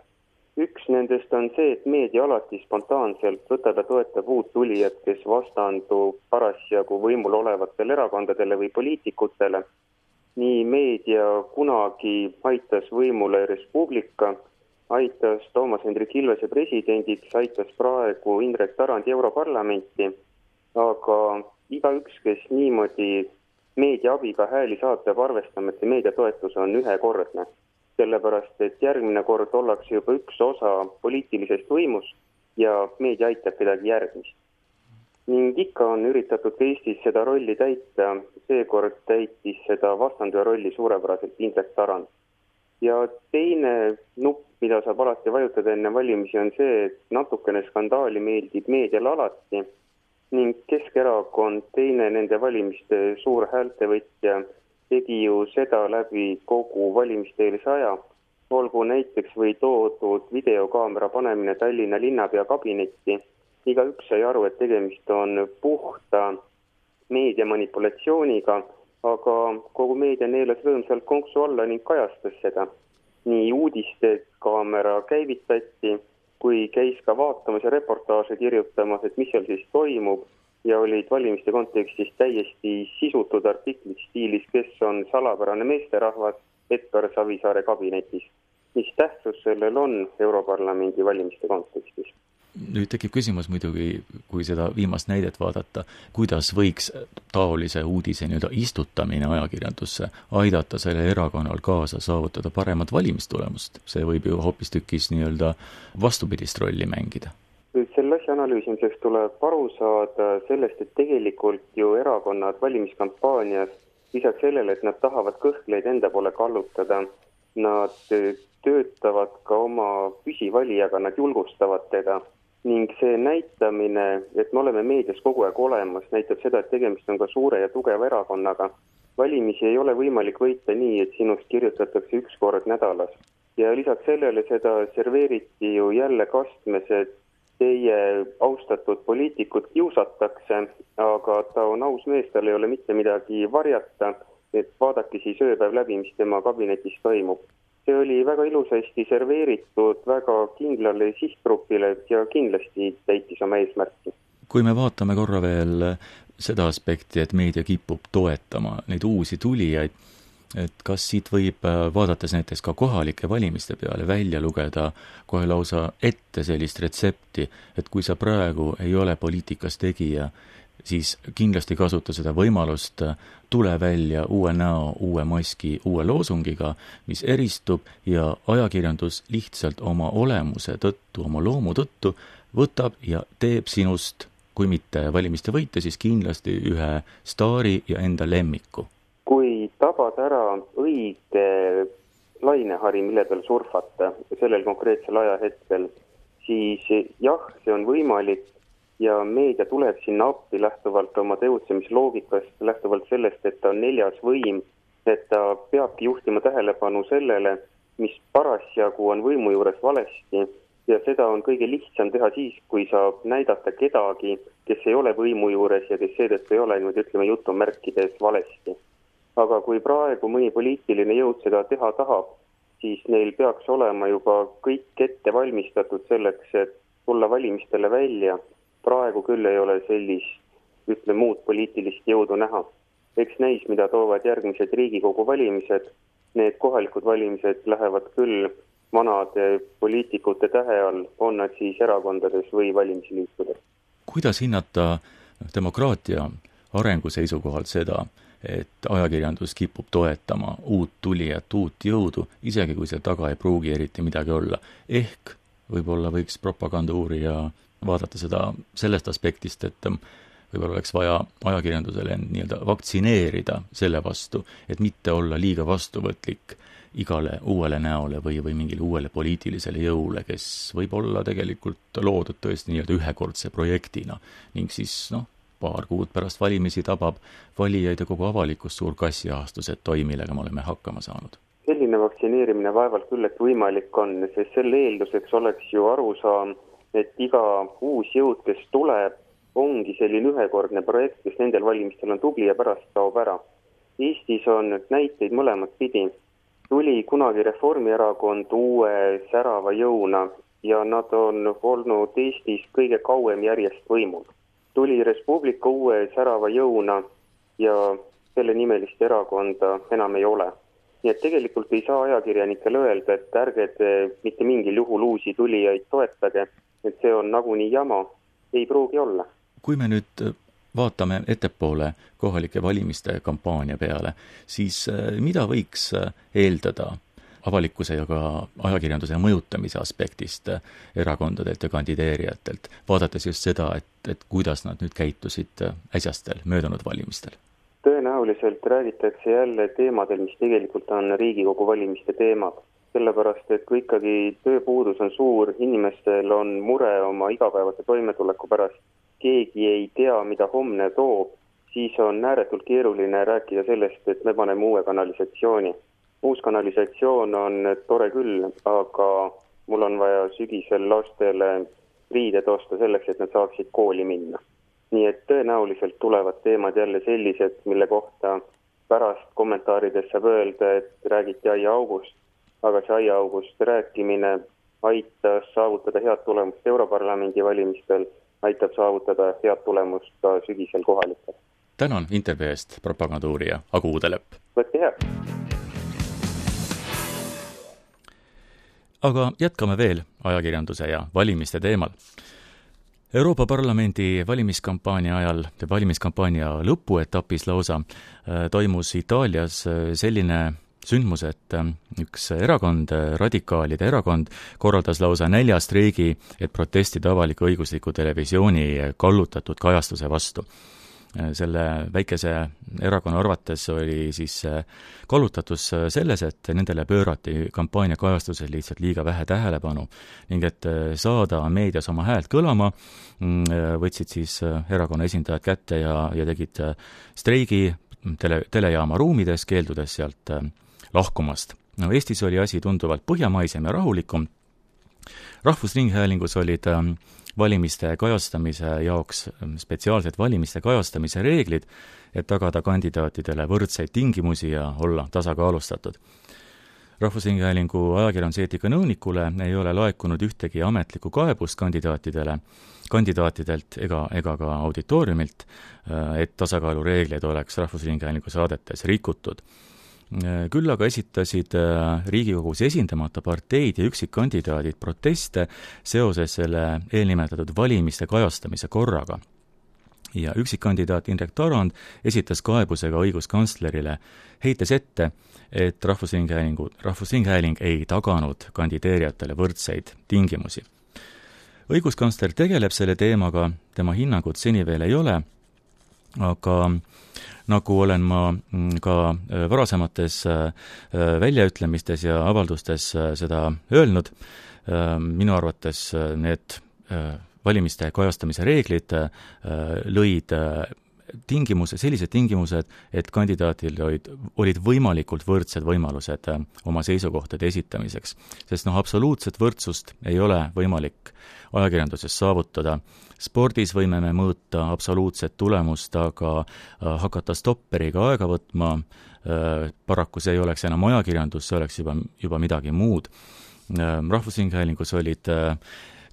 Speaker 3: Üks nendest on see, et meedia alati spontaanselt võtab ja toetab uut tulijat, kes vastandub parasjagu võimul olevatele erakondadele või poliitikutele. Nii meedia kunagi aitas võimule Res Publica, aitas Toomas Hendrik Ilvese presidendiks, aitas praegu Indrek Tarandi Europarlamenti, aga igaüks, kes niimoodi meedia abiga hääli saab, peab arvestama, et see meediatoetus on ühekordne. Sellepärast, et järgmine kord ollakse juba üks osa poliitilisest võimust ja meedia aitab kedagi järgmist. Ning ikka on üritatud Eestis seda rolli täita, seekord täitis seda vastanduja rolli suurepäraselt Indrek Tarand. Ja teine nupp, mida saab alati vajutada enne valimisi, on see, et natukene skandaali meeldib meedial alati ning Keskerakond, teine nende valimiste suur häältevõtja, tegi ju seda läbi kogu valimisteelise aja. Olgu näiteks või toodud videokaamera panemine Tallinna linnapea kabinetti. Igaüks sai aru, et tegemist on puhta meedia manipulatsiooniga, aga kogu meedia neelas rõõmsalt konksu alla ning kajastas seda. Nii uudiste kaamera käivitati, kui käis ka vaatamas ja reportaaže kirjutamas, et mis seal siis toimub, ja olid valimiste kontekstis täiesti sisutud artiklid stiilis, kes on salapärane meesterahvas Edgar Savisaare kabinetis. Mis tähtsus sellel on Europarlamendi valimiste kontekstis?
Speaker 1: Nüüd tekib küsimus muidugi, kui seda viimast näidet vaadata, kuidas võiks taolise uudise nii-öelda istutamine ajakirjandusse aidata selle erakonnal kaasa saavutada paremat valimistulemust. See võib ju hoopistükkis nii-öelda vastupidist rolli mängida.
Speaker 3: Selle asja analüüsimiseks tuleb aru saada sellest, et tegelikult ju erakonnad valimiskampaanias lisaks sellele, et nad tahavad kõhkleid enda poole kallutada, nad töötavad ka oma püsivalijaga, nad julgustavad teda ning see näitamine, et me oleme meedias kogu aeg olemas, näitab seda, et tegemist on ka suure ja tugeva erakonnaga. Valimisi ei ole võimalik võita nii, et sinust kirjutatakse üks kord nädalas. Ja lisaks sellele seda serveeriti ju jälle kastmes, et teie austatud poliitikud kiusatakse, aga ta on aus mees, tal ei ole mitte midagi varjata, et vaadake siis ööpäev läbi, mis tema kabinetis toimub. See oli väga ilusasti serveeritud väga kindlale sihtgrupile ja kindlasti täitis oma eesmärki.
Speaker 1: Kui me vaatame korra veel seda aspekti, et meedia kipub toetama neid uusi tulijaid, et kas siit võib, vaadates näiteks ka kohalike valimiste peale, välja lugeda kohe lausa ette sellist retsepti, et kui sa praegu ei ole poliitikas tegija, siis kindlasti kasuta seda võimalust, tule välja uue näo, uue maski, uue loosungiga, mis eristub ja ajakirjandus lihtsalt oma olemuse tõttu, oma loomu tõttu võtab ja teeb sinust, kui mitte valimiste võite, siis kindlasti ühe staari ja enda lemmiku.
Speaker 3: Kui tabad ära õige lainehari, mille peal surfata sellel konkreetsel ajahetkel, siis jah, see on võimalik ja meedia tuleb sinna appi lähtuvalt oma tegutsemisloogikast, lähtuvalt sellest, et ta on neljas võim, et ta peabki juhtima tähelepanu sellele, mis parasjagu on võimu juures valesti ja seda on kõige lihtsam teha siis, kui saab näidata kedagi, kes ei ole võimu juures ja kes seetõttu ei ole, nüüd ütleme jutumärkides valesti. Aga kui praegu mõni poliitiline jõud seda teha tahab, siis neil peaks olema juba kõik ette valmistatud selleks, et tulla valimistele välja. Praegu küll ei ole sellist, ütle muud poliitilist jõudu näha. Eks näis, mida toovad järgmised Riigikogu valimised. Need kohalikud valimised lähevad küll vanade poliitikute tähe all, on nad siis erakondades või valimisliitudes.
Speaker 1: Kuidas hinnata demokraatia arengu seisukohalt seda, et ajakirjandus kipub toetama uut tulijat, uut jõudu, isegi kui see taga ei pruugi eriti midagi olla. Ehk võib-olla võiks propagandauurija vaadata seda sellest aspektist, et võib-olla oleks vaja ajakirjandusele nii-öelda vaktsineerida selle vastu, et mitte olla liiga vastuvõtlik igale uuele näole või, või mingile uuele poliitilisele jõule, kes võib olla tegelikult loodud tõesti nii-öelda ühekordse projektina ning siis noh, paar kuud pärast valimisi tabab valijaid ja kogu avalikus suur kassiahastus, et toi, millega me oleme hakkama saanud.
Speaker 3: Selline vaktsineerimine vaevalt küll, et võimalik on, sest selle eelduseks oleks ju arusaam, et iga uus jõud, kes tuleb, ongi selline ühekordne projekt, kes nendel valimistel on tubli ja pärast kaob ära. Eestis on näiteid mõlemat pidi. Tuli kunagi Reformierakond uue särava jõuna ja nad on olnud Eestis kõige kauem järjest võimul. Tuli Res Publica uue särava jõuna ja selle nimelist erakonda enam ei ole. Nii et tegelikult ei saa ajakirjanikele öelda, et ärge te mitte mingil juhul uusi tulijaid toetage, et see on nagunii jama, ei pruugi olla.
Speaker 1: Kui me nüüd vaatame ettepoole kohalike valimiste kampaania peale, siis mida võiks eeldada avalikkuse ja ka ajakirjanduse mõjutamise aspektist erakondadelt ja kandideerijatelt, vaadates just seda, et, et kuidas nad nüüd käitusid äsjastel möödunud valimistel?
Speaker 3: Tõenäoliselt räägitakse jälle teemadel, mis tegelikult on Riigikogu valimiste teemad. Sellepärast, et kui ikkagi tööpuudus on suur, inimestel on mure oma igapäevase toimetuleku pärast, keegi ei tea, mida homne toob, siis on ääretult keeruline rääkida sellest, et me paneme uue kanalisatsiooni. Uus kanalisatsioon on tore küll, aga mul on vaja sügisel lastele riided osta selleks, et nad saaksid kooli minna. Nii et tõenäoliselt tulevad teemad jälle sellised, mille kohta pärast kommentaarides saab öelda, et räägiti aiaaugust, aga see aiaaugust rääkimine aitas saavutada head tulemust Europarlamendi valimistel, aitab saavutada head tulemust ka sügisel kohalikel.
Speaker 1: Tänan intervjuu eest, propagandauurija Agu Uudelep.
Speaker 3: Võtke head!
Speaker 1: Aga jätkame veel ajakirjanduse ja valimiste teemal. Euroopa Parlamendi valimiskampaania ajal, valimiskampaania lõpuetapis lausa, toimus Itaalias selline sündmus, et üks erakond, radikaalide erakond, korraldas lausa näljastreigi, et protestida avaliku õigusliku televisiooni kallutatud kajastuse vastu. Selle väikese erakonna arvates oli siis kallutatus selles, et nendele pöörati kampaania kajastusel lihtsalt liiga vähe tähelepanu ning et saada meedias oma häält kõlama, võtsid siis erakonna esindajad kätte ja, ja tegid streigi tele, telejaama ruumides, keeldudes sealt lahkumast. No, Eestis oli asi tunduvalt põhjamaisem ja rahulikum. Rahvusringhäälingus olid valimiste kajastamise jaoks spetsiaalsed valimiste kajastamise reeglid, et tagada kandidaatidele võrdseid tingimusi ja olla tasakaalustatud. Rahvusringhäälingu ajakirjanduseetika nõunikule ei ole laekunud ühtegi ametlikku kaebust kandidaatidele, kandidaatidelt ega, ega ka auditooriumilt, et tasakaalureegleid oleks Rahvusringhäälingu saadetes rikutud. Küll aga esitasid Riigikogus esindamata parteid ja üksikkandidaadid proteste seoses selle eelnimetatud valimiste kajastamise korraga. Ja üksikkandidaat Indrek Tarand esitas kaebusega õiguskantslerile, heites ette, et Rahvusringhäälingu, Rahvusringhääling ei taganud kandideerijatele võrdseid tingimusi. Õiguskantsler tegeleb selle teemaga, tema hinnangut seni veel ei ole, aga nagu olen ma ka varasemates väljaütlemistes ja avaldustes seda öelnud, minu arvates need valimiste kajastamise reeglid lõid tingimuse, sellised tingimused, et kandidaatil olid, olid võimalikult võrdsed võimalused oma seisukohtade esitamiseks. Sest noh, absoluutset võrdsust ei ole võimalik ajakirjanduses saavutada. Spordis võime me mõõta absoluutset tulemust, aga hakata stopperiga aega võtma, paraku see ei oleks enam ajakirjandus, see oleks juba, juba midagi muud. Rahvusringhäälingus olid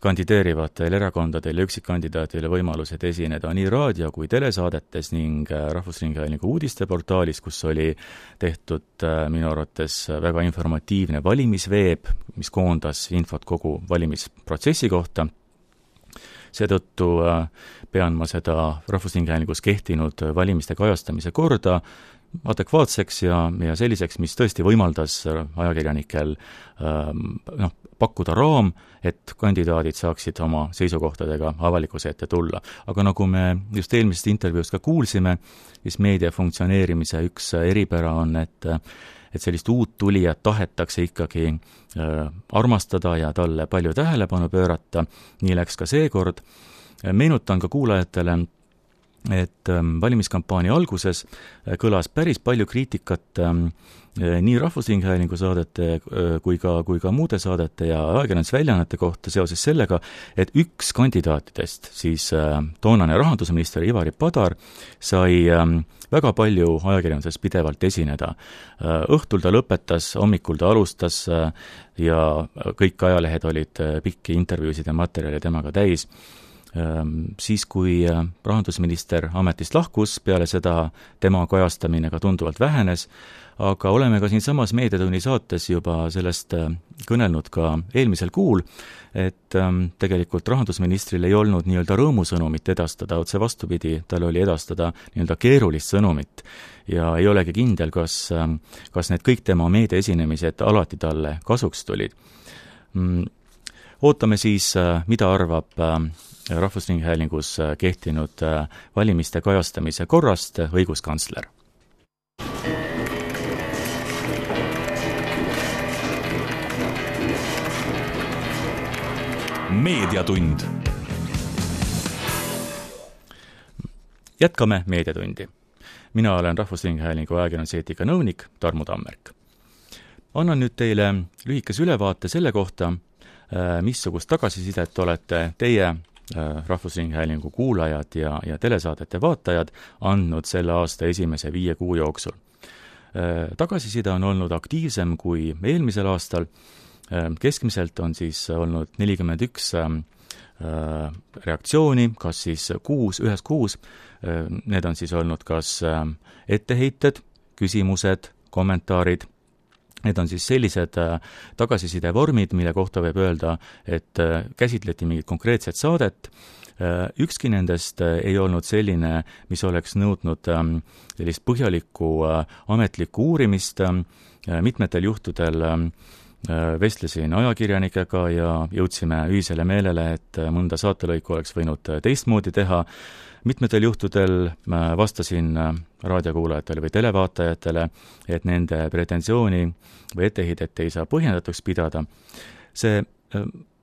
Speaker 1: kandideerivatel erakondadel ja üksikkandidaatile võimalused esineda nii raadio- kui telesaadetes ning Rahvusringhäälingu uudisteportaalis, kus oli tehtud minu arvates väga informatiivne valimisveeb, mis koondas infot kogu valimisprotsessi kohta. Seetõttu pean ma seda Rahvusringhäälingus kehtinud valimiste kajastamise korda adekvaatseks ja, ja selliseks, mis tõesti võimaldas ajakirjanikel noh, pakkuda raam, et kandidaadid saaksid oma seisukohtadega avalikkuse ette tulla. Aga nagu me just eelmisest intervjuust ka kuulsime, siis meedia funktsioneerimise üks eripära on, et, et sellist uut tulijat tahetakse ikkagi armastada ja talle palju tähelepanu pöörata. Nii läks ka seekord. Meenutan ka kuulajatele, et valimiskampaania alguses kõlas päris palju kriitikat nii Rahvusringhäälingu saadete kui ka, kui ka muude saadete ja ajakirjandusväljaannete kohta seoses sellega, et üks kandidaatidest, siis toonane rahandusminister Ivari Padar, sai väga palju ajakirjanduses pidevalt esineda. Õhtul ta lõpetas, hommikul ta alustas ja kõik ajalehed olid pikki intervjuusid ja materjali temaga täis. Siis, kui rahandusminister ametist lahkus, peale seda tema kajastamine ka tunduvalt vähenes, aga oleme ka siin samas Meediatunni saates juba sellest kõnelnud ka eelmisel kuul, et tegelikult rahandusministril ei olnud nii-öelda rõõmusõnumit edastada, otse vastupidi, tal oli edastada nii-öelda keerulist sõnumit ja ei olegi kindel, kas, kas need kõik tema meediaesinemised alati talle kasuks tulid. Ootame siis, mida arvab Rahvusringhäälingus kehtinud valimiste kajastamise korrast õiguskantsler.
Speaker 4: Meediatund.
Speaker 1: Jätkame Meediatundi. Mina olen Rahvusringhäälingu ajakirjanduseetika nõunik Tarmo Tammerk. Annan nüüd teile lühikese ülevaate selle kohta, missugust tagasisidet olete teie Rahvusringhäälingu kuulajad ja, ja telesaadete vaatajad andnud selle aasta esimese viie kuu jooksul. Tagasiside on olnud aktiivsem kui eelmisel aastal. Keskmiselt on siis olnud nelikümmend üks reaktsiooni, kas siis kuus, ühes kuus. Need on siis olnud kas etteheited, küsimused, kommentaarid. Need on siis sellised tagasiside vormid, mille kohta võib öelda, et käsitleti mingit konkreetset saadet. Ükski nendest ei olnud selline, mis oleks nõudnud sellist põhjalikku ametlikku uurimist. Mitmetel juhtudel vestlesin ajakirjanikega ja jõudsime ühisele meelele, et mõnda saatelõiku oleks võinud teistmoodi teha. Mitmetel juhtudel vastasin raadiokuulajatele või televaatajatele, et nende pretensiooni või ettehidet ei saa põhjendatuks pidada. See,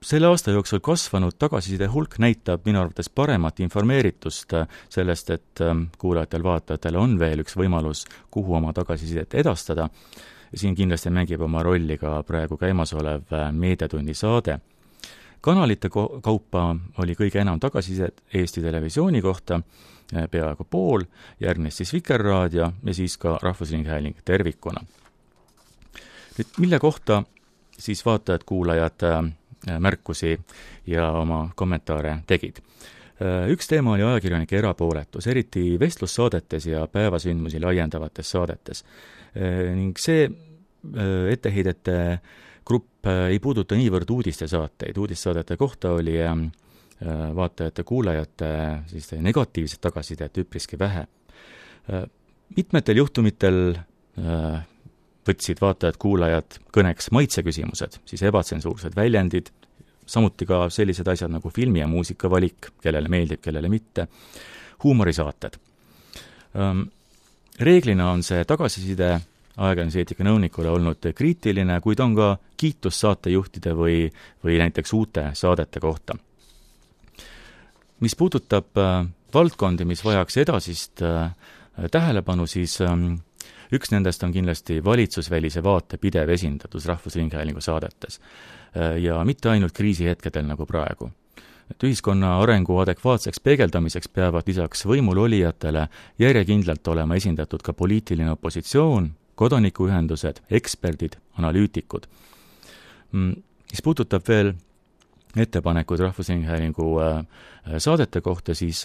Speaker 1: selle aasta jooksul kasvanud tagasiside hulk näitab minu arvates paremat informeeritust sellest, et kuulajatel, vaatajatel on veel üks võimalus, kuhu oma tagasisidet edastada. Siin kindlasti mängib oma rolli ka praegu käimasolev Meediatunni saade. Kanalite kaupa oli kõige enam tagasisidet Eesti Televisiooni kohta, peaaegu pool, järgnes siis Vikerraadio ja siis ka Rahvusringhääling tervikuna. Nüüd, mille kohta siis vaatajad, kuulajad märkusi ja oma kommentaare tegid? Üks teema oli ajakirjanike erapooletus, eriti vestlussaadetes ja päevasündmusi laiendavates saadetes. Ning see etteheidete grupp ei puuduta niivõrd uudistesaateid. Uudissaadete kohta oli vaatajate, kuulajate siis negatiivset tagasisidet üpriski vähe. Mitmetel juhtumitel võtsid vaatajad, kuulajad kõneks maitseküsimused, siis ebatsensuursed väljendid, samuti ka sellised asjad nagu filmi ja muusika valik, kellele meeldib, kellele mitte, huumorisaated. Reeglina on see tagasiside ajakirjanduseetika nõunikule olnud kriitiline, kuid on ka kiitus saatejuhtide või, või näiteks uute saadete kohta. Mis puudutab valdkondi, mis vajaks edasist tähelepanu, siis üks nendest on kindlasti valitsusvälise vaate pidev esindatus Rahvusringhäälingu saadetes. Ja mitte ainult kriisihetkedel nagu praegu. Et ühiskonna arengu adekvaatseks peegeldamiseks peavad lisaks võimul olijatele järjekindlalt olema esindatud ka poliitiline opositsioon, kodanikuühendused, eksperdid, analüütikud. Mis puudutab veel ettepanekud Rahvusringhäälingu saadete kohta, siis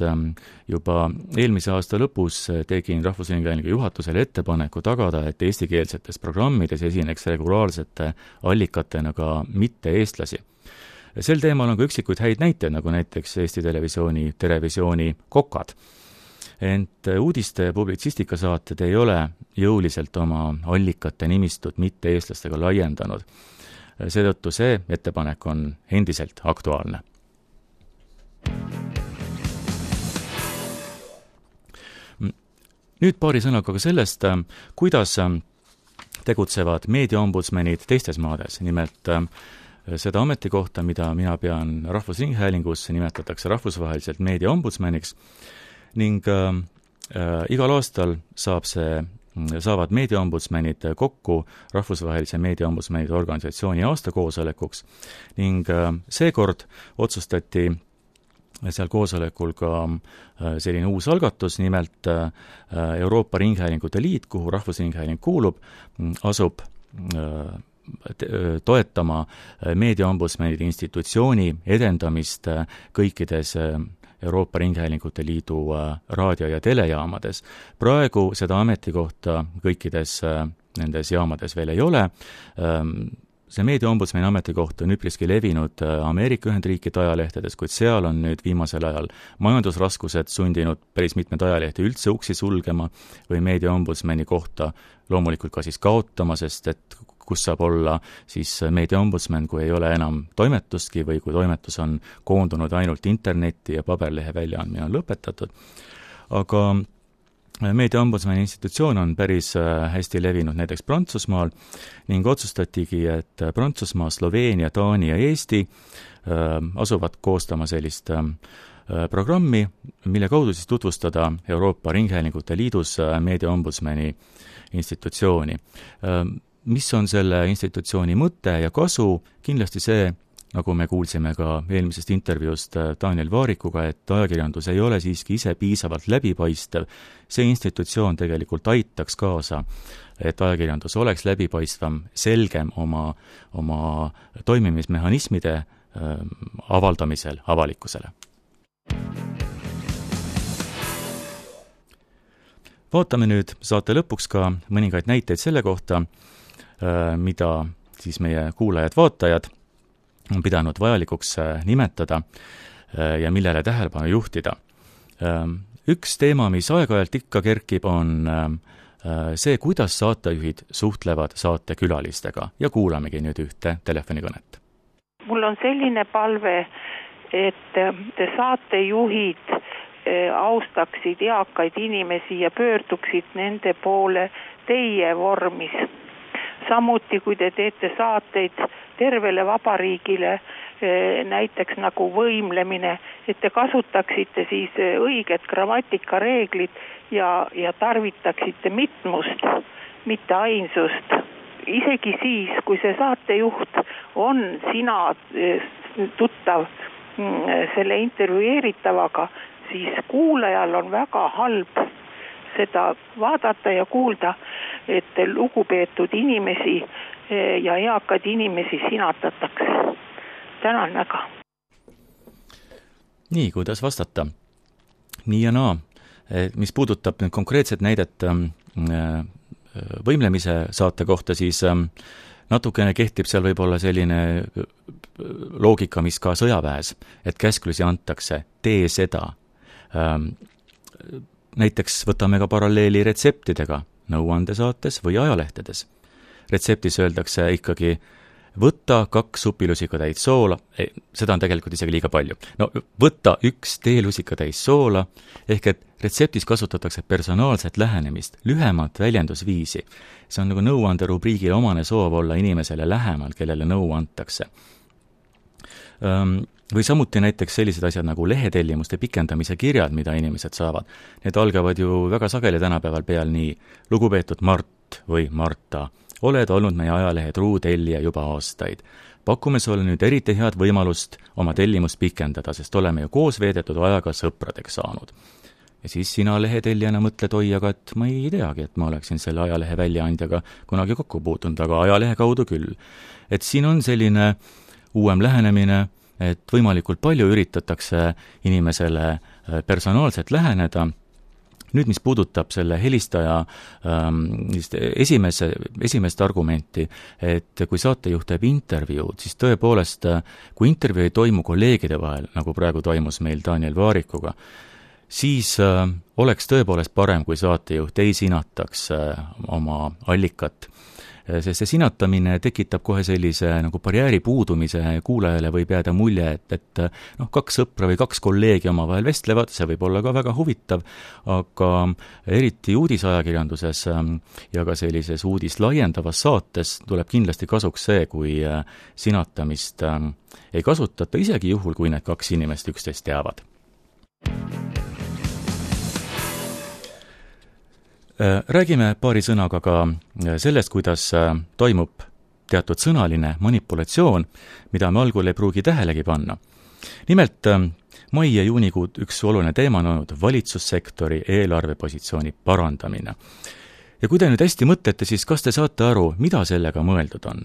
Speaker 1: juba eelmise aasta lõpus tegin Rahvusringhäälingu juhatusele ettepaneku tagada, et eestikeelsetes programmides esineks regulaarsete allikatena ka mitte-eestlasi. Sel teemal on ka üksikuid häid näiteid, nagu näiteks Eesti Televisiooni Terevisiooni Kokad. Ent uudiste publitsistikasaated ei ole jõuliselt oma allikate nimistut mitte-eestlastega laiendanud. Seetõttu see ettepanek on endiselt aktuaalne. Nüüd paari sõnaga ka sellest, kuidas tegutsevad meediaombudsmanid teistes maades. Nimelt seda ametikohta, mida mina pean Rahvusringhäälingus, nimetatakse rahvusvaheliselt meediaombudsmaniks ning äh, igal aastal saab see saavad meediaombudsmanid kokku rahvusvahelise meediaombudsmanide organisatsiooni aastakoosolekuks ning seekord otsustati seal koosolekul ka selline uus algatus, nimelt Euroopa Ringhäälingute Liit, kuhu Rahvusringhääling kuulub, asub toetama meediaombudsmanide institutsiooni edendamist kõikides Euroopa Ringhäälingute Liidu raadio- ja telejaamades. Praegu seda ametikohta kõikides nendes jaamades veel ei ole. See meediaombudsmani ametikoht on üpriski levinud Ameerika Ühendriikide ajalehtedes, kuid seal on nüüd viimasel ajal majandusraskused sundinud päris mitmed ajalehti üldse uksi sulgema või meediaombudsmani kohta loomulikult ka siis kaotama, sest et kus saab olla siis meediaombudsman, kui ei ole enam toimetustki või kui toimetus on koondunud ainult internetti ja paberlehe väljaandmine on lõpetatud. Aga meediaombudsmani institutsioon on päris hästi levinud näiteks Prantsusmaal ning otsustatigi, et Prantsusmaa, Sloveenia, Taani ja Eesti asuvad koostama sellist programmi, mille kaudu siis tutvustada Euroopa Ringhäälingute Liidus meediaombudsmani institutsiooni. Mis on selle institutsiooni mõte ja kasu? Kindlasti see, nagu me kuulsime ka eelmisest intervjuust Daniel Vaarikuga, et ajakirjandus ei ole siiski ise piisavalt läbipaistev. See institutsioon tegelikult aitaks kaasa, et ajakirjandus oleks läbipaistvam, selgem oma, oma toimimismehhanismide äh, avaldamisel avalikkusele. Vaatame nüüd saate lõpuks ka mõningaid näiteid selle kohta, mida siis meie kuulajad-vaatajad on pidanud vajalikuks nimetada ja millele tähelepanu juhtida. Üks teema, mis aeg-ajalt ikka kerkib, on see, kuidas saatejuhid suhtlevad saatekülalistega ja kuulamegi nüüd ühte telefonikõnet.
Speaker 4: Mul on selline palve, et saatejuhid austaksid eakaid inimesi ja pöörduksid nende poole teie vormis. Samuti, kui te teete saateid tervele vabariigile, näiteks nagu võimlemine, et te kasutaksite siis õiget grammatikareeglid ja, ja tarvitaksite mitmust, mitte ainsust. Isegi siis, kui see saatejuht on sina tuttav selle intervjueeritavaga, siis kuulajal on väga halb seda vaadata ja kuulda, et lugupeetud inimesi ja eakad inimesi sinatatakse. Tänan väga.
Speaker 1: nii, kuidas vastata? Nii ja naa. Mis puudutab nüüd konkreetset näidet võimlemise saate kohta, siis natukene kehtib seal võib-olla selline loogika, mis ka sõjaväes, et käsklusi antakse, tee seda. Näiteks võtame ka paralleeli retseptidega nõuandesaates või ajalehtedes. Retseptis öeldakse ikkagi võtta kaks supilusikatäis soola, seda on tegelikult isegi liiga palju. No võtta üks teelusikatäis soola, ehk et retseptis kasutatakse personaalset lähenemist, lühemat väljendusviisi. See on nagu nõuande rubriigile omane soov olla inimesele lähemal, kellele nõu antakse. Või samuti näiteks sellised asjad nagu lehetellimuste pikendamise kirjad, mida inimesed saavad. Need algavad ju väga sageli tänapäeval peal nii lugupeetud Mart või Marta. Oled olnud meie ajalehe truu tellija juba aastaid. Pakume sulle nüüd eriti head võimalust oma tellimust pikendada, sest oleme ju koos veedetud ajaga sõpradeks saanud. Ja siis sina lehetellijana mõtled, oi, aga et ma ei teagi, et ma oleksin selle ajalehe väljaandjaga kunagi kokku puutunud, aga ajalehe kaudu küll. Et siin on selline uuem lähenemine, et võimalikult palju üritatakse inimesele personaalselt läheneda. Nüüd, mis puudutab selle helistaja ähm, esimese, esimest argumenti, et kui saatejuht teeb intervjuud, siis tõepoolest, kui intervjuu ei toimu kolleegide vahel, nagu praegu toimus meil Daniel Vaarikuga, siis äh, oleks tõepoolest parem, kui saatejuht ei sinataks äh, oma allikat. Sest see sinatamine tekitab kohe sellise nagu barjääri puudumise, kuulajale võib jääda mulje, et, et noh, kaks sõpra või kaks kolleegi omavahel vestlevad, see võib olla ka väga huvitav, aga eriti uudisajakirjanduses ja ka sellises uudis laiendavas saates tuleb kindlasti kasuks see, kui sinatamist ei kasutata, isegi juhul, kui need kaks inimest üksteist teavad. Räägime paari sõnaga ka sellest, kuidas toimub teatud sõnaline manipulatsioon, mida me algul ei pruugi tähelegi panna. Nimelt, mai ja juunikuud üks oluline teema on olnud valitsussektori eelarvepositsiooni parandamine. Ja kui te nüüd hästi mõtlete, siis kas te saate aru, mida sellega mõeldud on?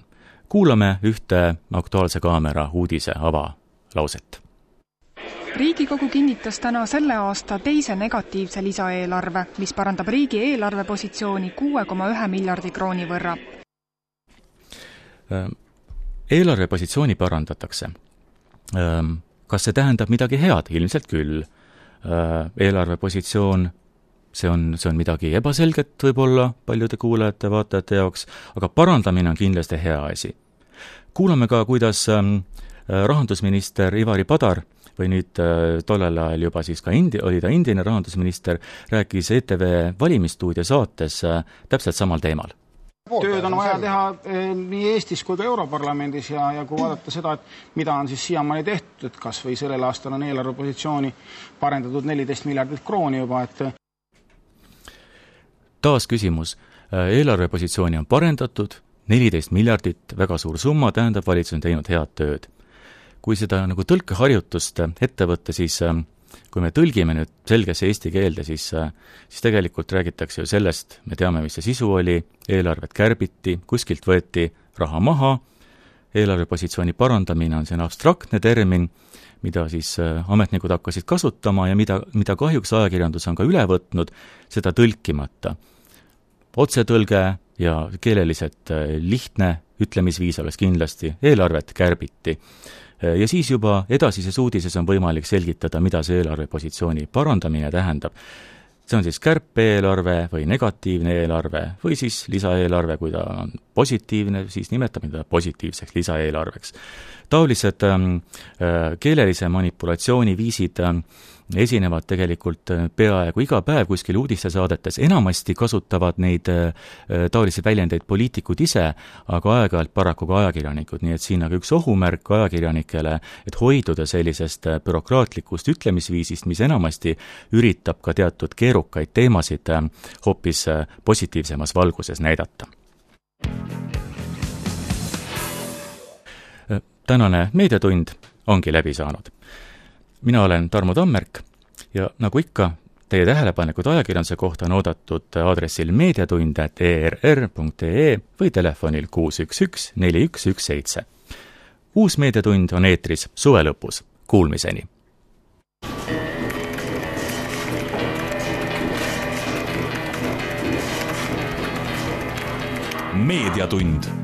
Speaker 1: Kuulame ühte Aktuaalse Kaamera uudise avalauset.
Speaker 5: Riigikogu kinnitas täna selle aasta teise negatiivse lisaeelarve, mis parandab riigi eelarvepositsiooni kuue koma ühe miljardi krooni võrra. Eelarvepositsiooni parandatakse. Kas see tähendab midagi head? Ilmselt küll. Eelarvepositsioon, see on, see on midagi ebaselget võib-olla paljude kuulajate vaatajate jaoks, aga parandamine on kindlasti hea asi. Kuulame ka, kuidas rahandusminister Ivari Padar või nüüd tollel ajal juba siis ka indi, oli ta endine rahandusminister, rääkis E T V valimistuudia saates täpselt samal teemal.
Speaker 6: Tööd on vaja teha nii Eestis kui ka Europarlamendis ja, ja kui vaadata seda, et mida on siis siiamaani tehtud, et kas või sellel aastal on eelarvepositsiooni parendatud neliteist miljardit krooni juba, et
Speaker 1: taas küsimus. Eelarvepositsiooni on parendatud, neliteist miljardit, väga suur summa, tähendab, valitsus on teinud head tööd. Kui seda nagu tõlkeharjutust ette võtta, siis kui me tõlgime nüüd selgesse eesti keelde, siis, siis tegelikult räägitakse ju sellest, me teame, mis see sisu oli, eelarvet kärbiti, kuskilt võeti raha maha, eelarvepositsiooni parandamine on see abstraktne termin, mida siis ametnikud hakkasid kasutama ja mida, mida kahjuks ajakirjandus on ka üle võtnud, seda tõlkimata. Otsetõlge ja keeleliselt lihtne ütlemisviis oleks kindlasti, eelarvet kärbiti. Ja siis juba edasises uudises on võimalik selgitada, mida see eelarvepositsiooni parandamine tähendab. See on siis kärpe-eelarve või negatiivne eelarve või siis lisaeelarve, kui ta on positiivne, siis nimetame ta positiivseks lisaeelarveks. Taolised ähm, keelelise manipulatsiooni viisid ähm, esinevad tegelikult peaaegu iga päev kuskil uudistesaadetes. Enamasti kasutavad neid äh, taolisi väljendeid poliitikud ise, aga aeg-ajalt paraku ka ajakirjanikud. Nii et siin aga üks ohumärk ajakirjanikele, et hoiduda sellisest bürokraatlikust ütlemisviisist, mis enamasti üritab ka teatud keerukaid teemasid äh, hoopis äh, positiivsemas valguses näidata. Tänane meediatund ongi läbi saanud. Mina olen Tarmo Tammerk ja nagu ikka, teie tähelepanekud ajakirjanduse kohta on oodatud aadressil meediatund at e r r punkt e e või telefonil kuus üks üks neli üks üks seitse. Uus meediatund on eetris suve lõpus. Kuulmiseni!
Speaker 7: Meediatund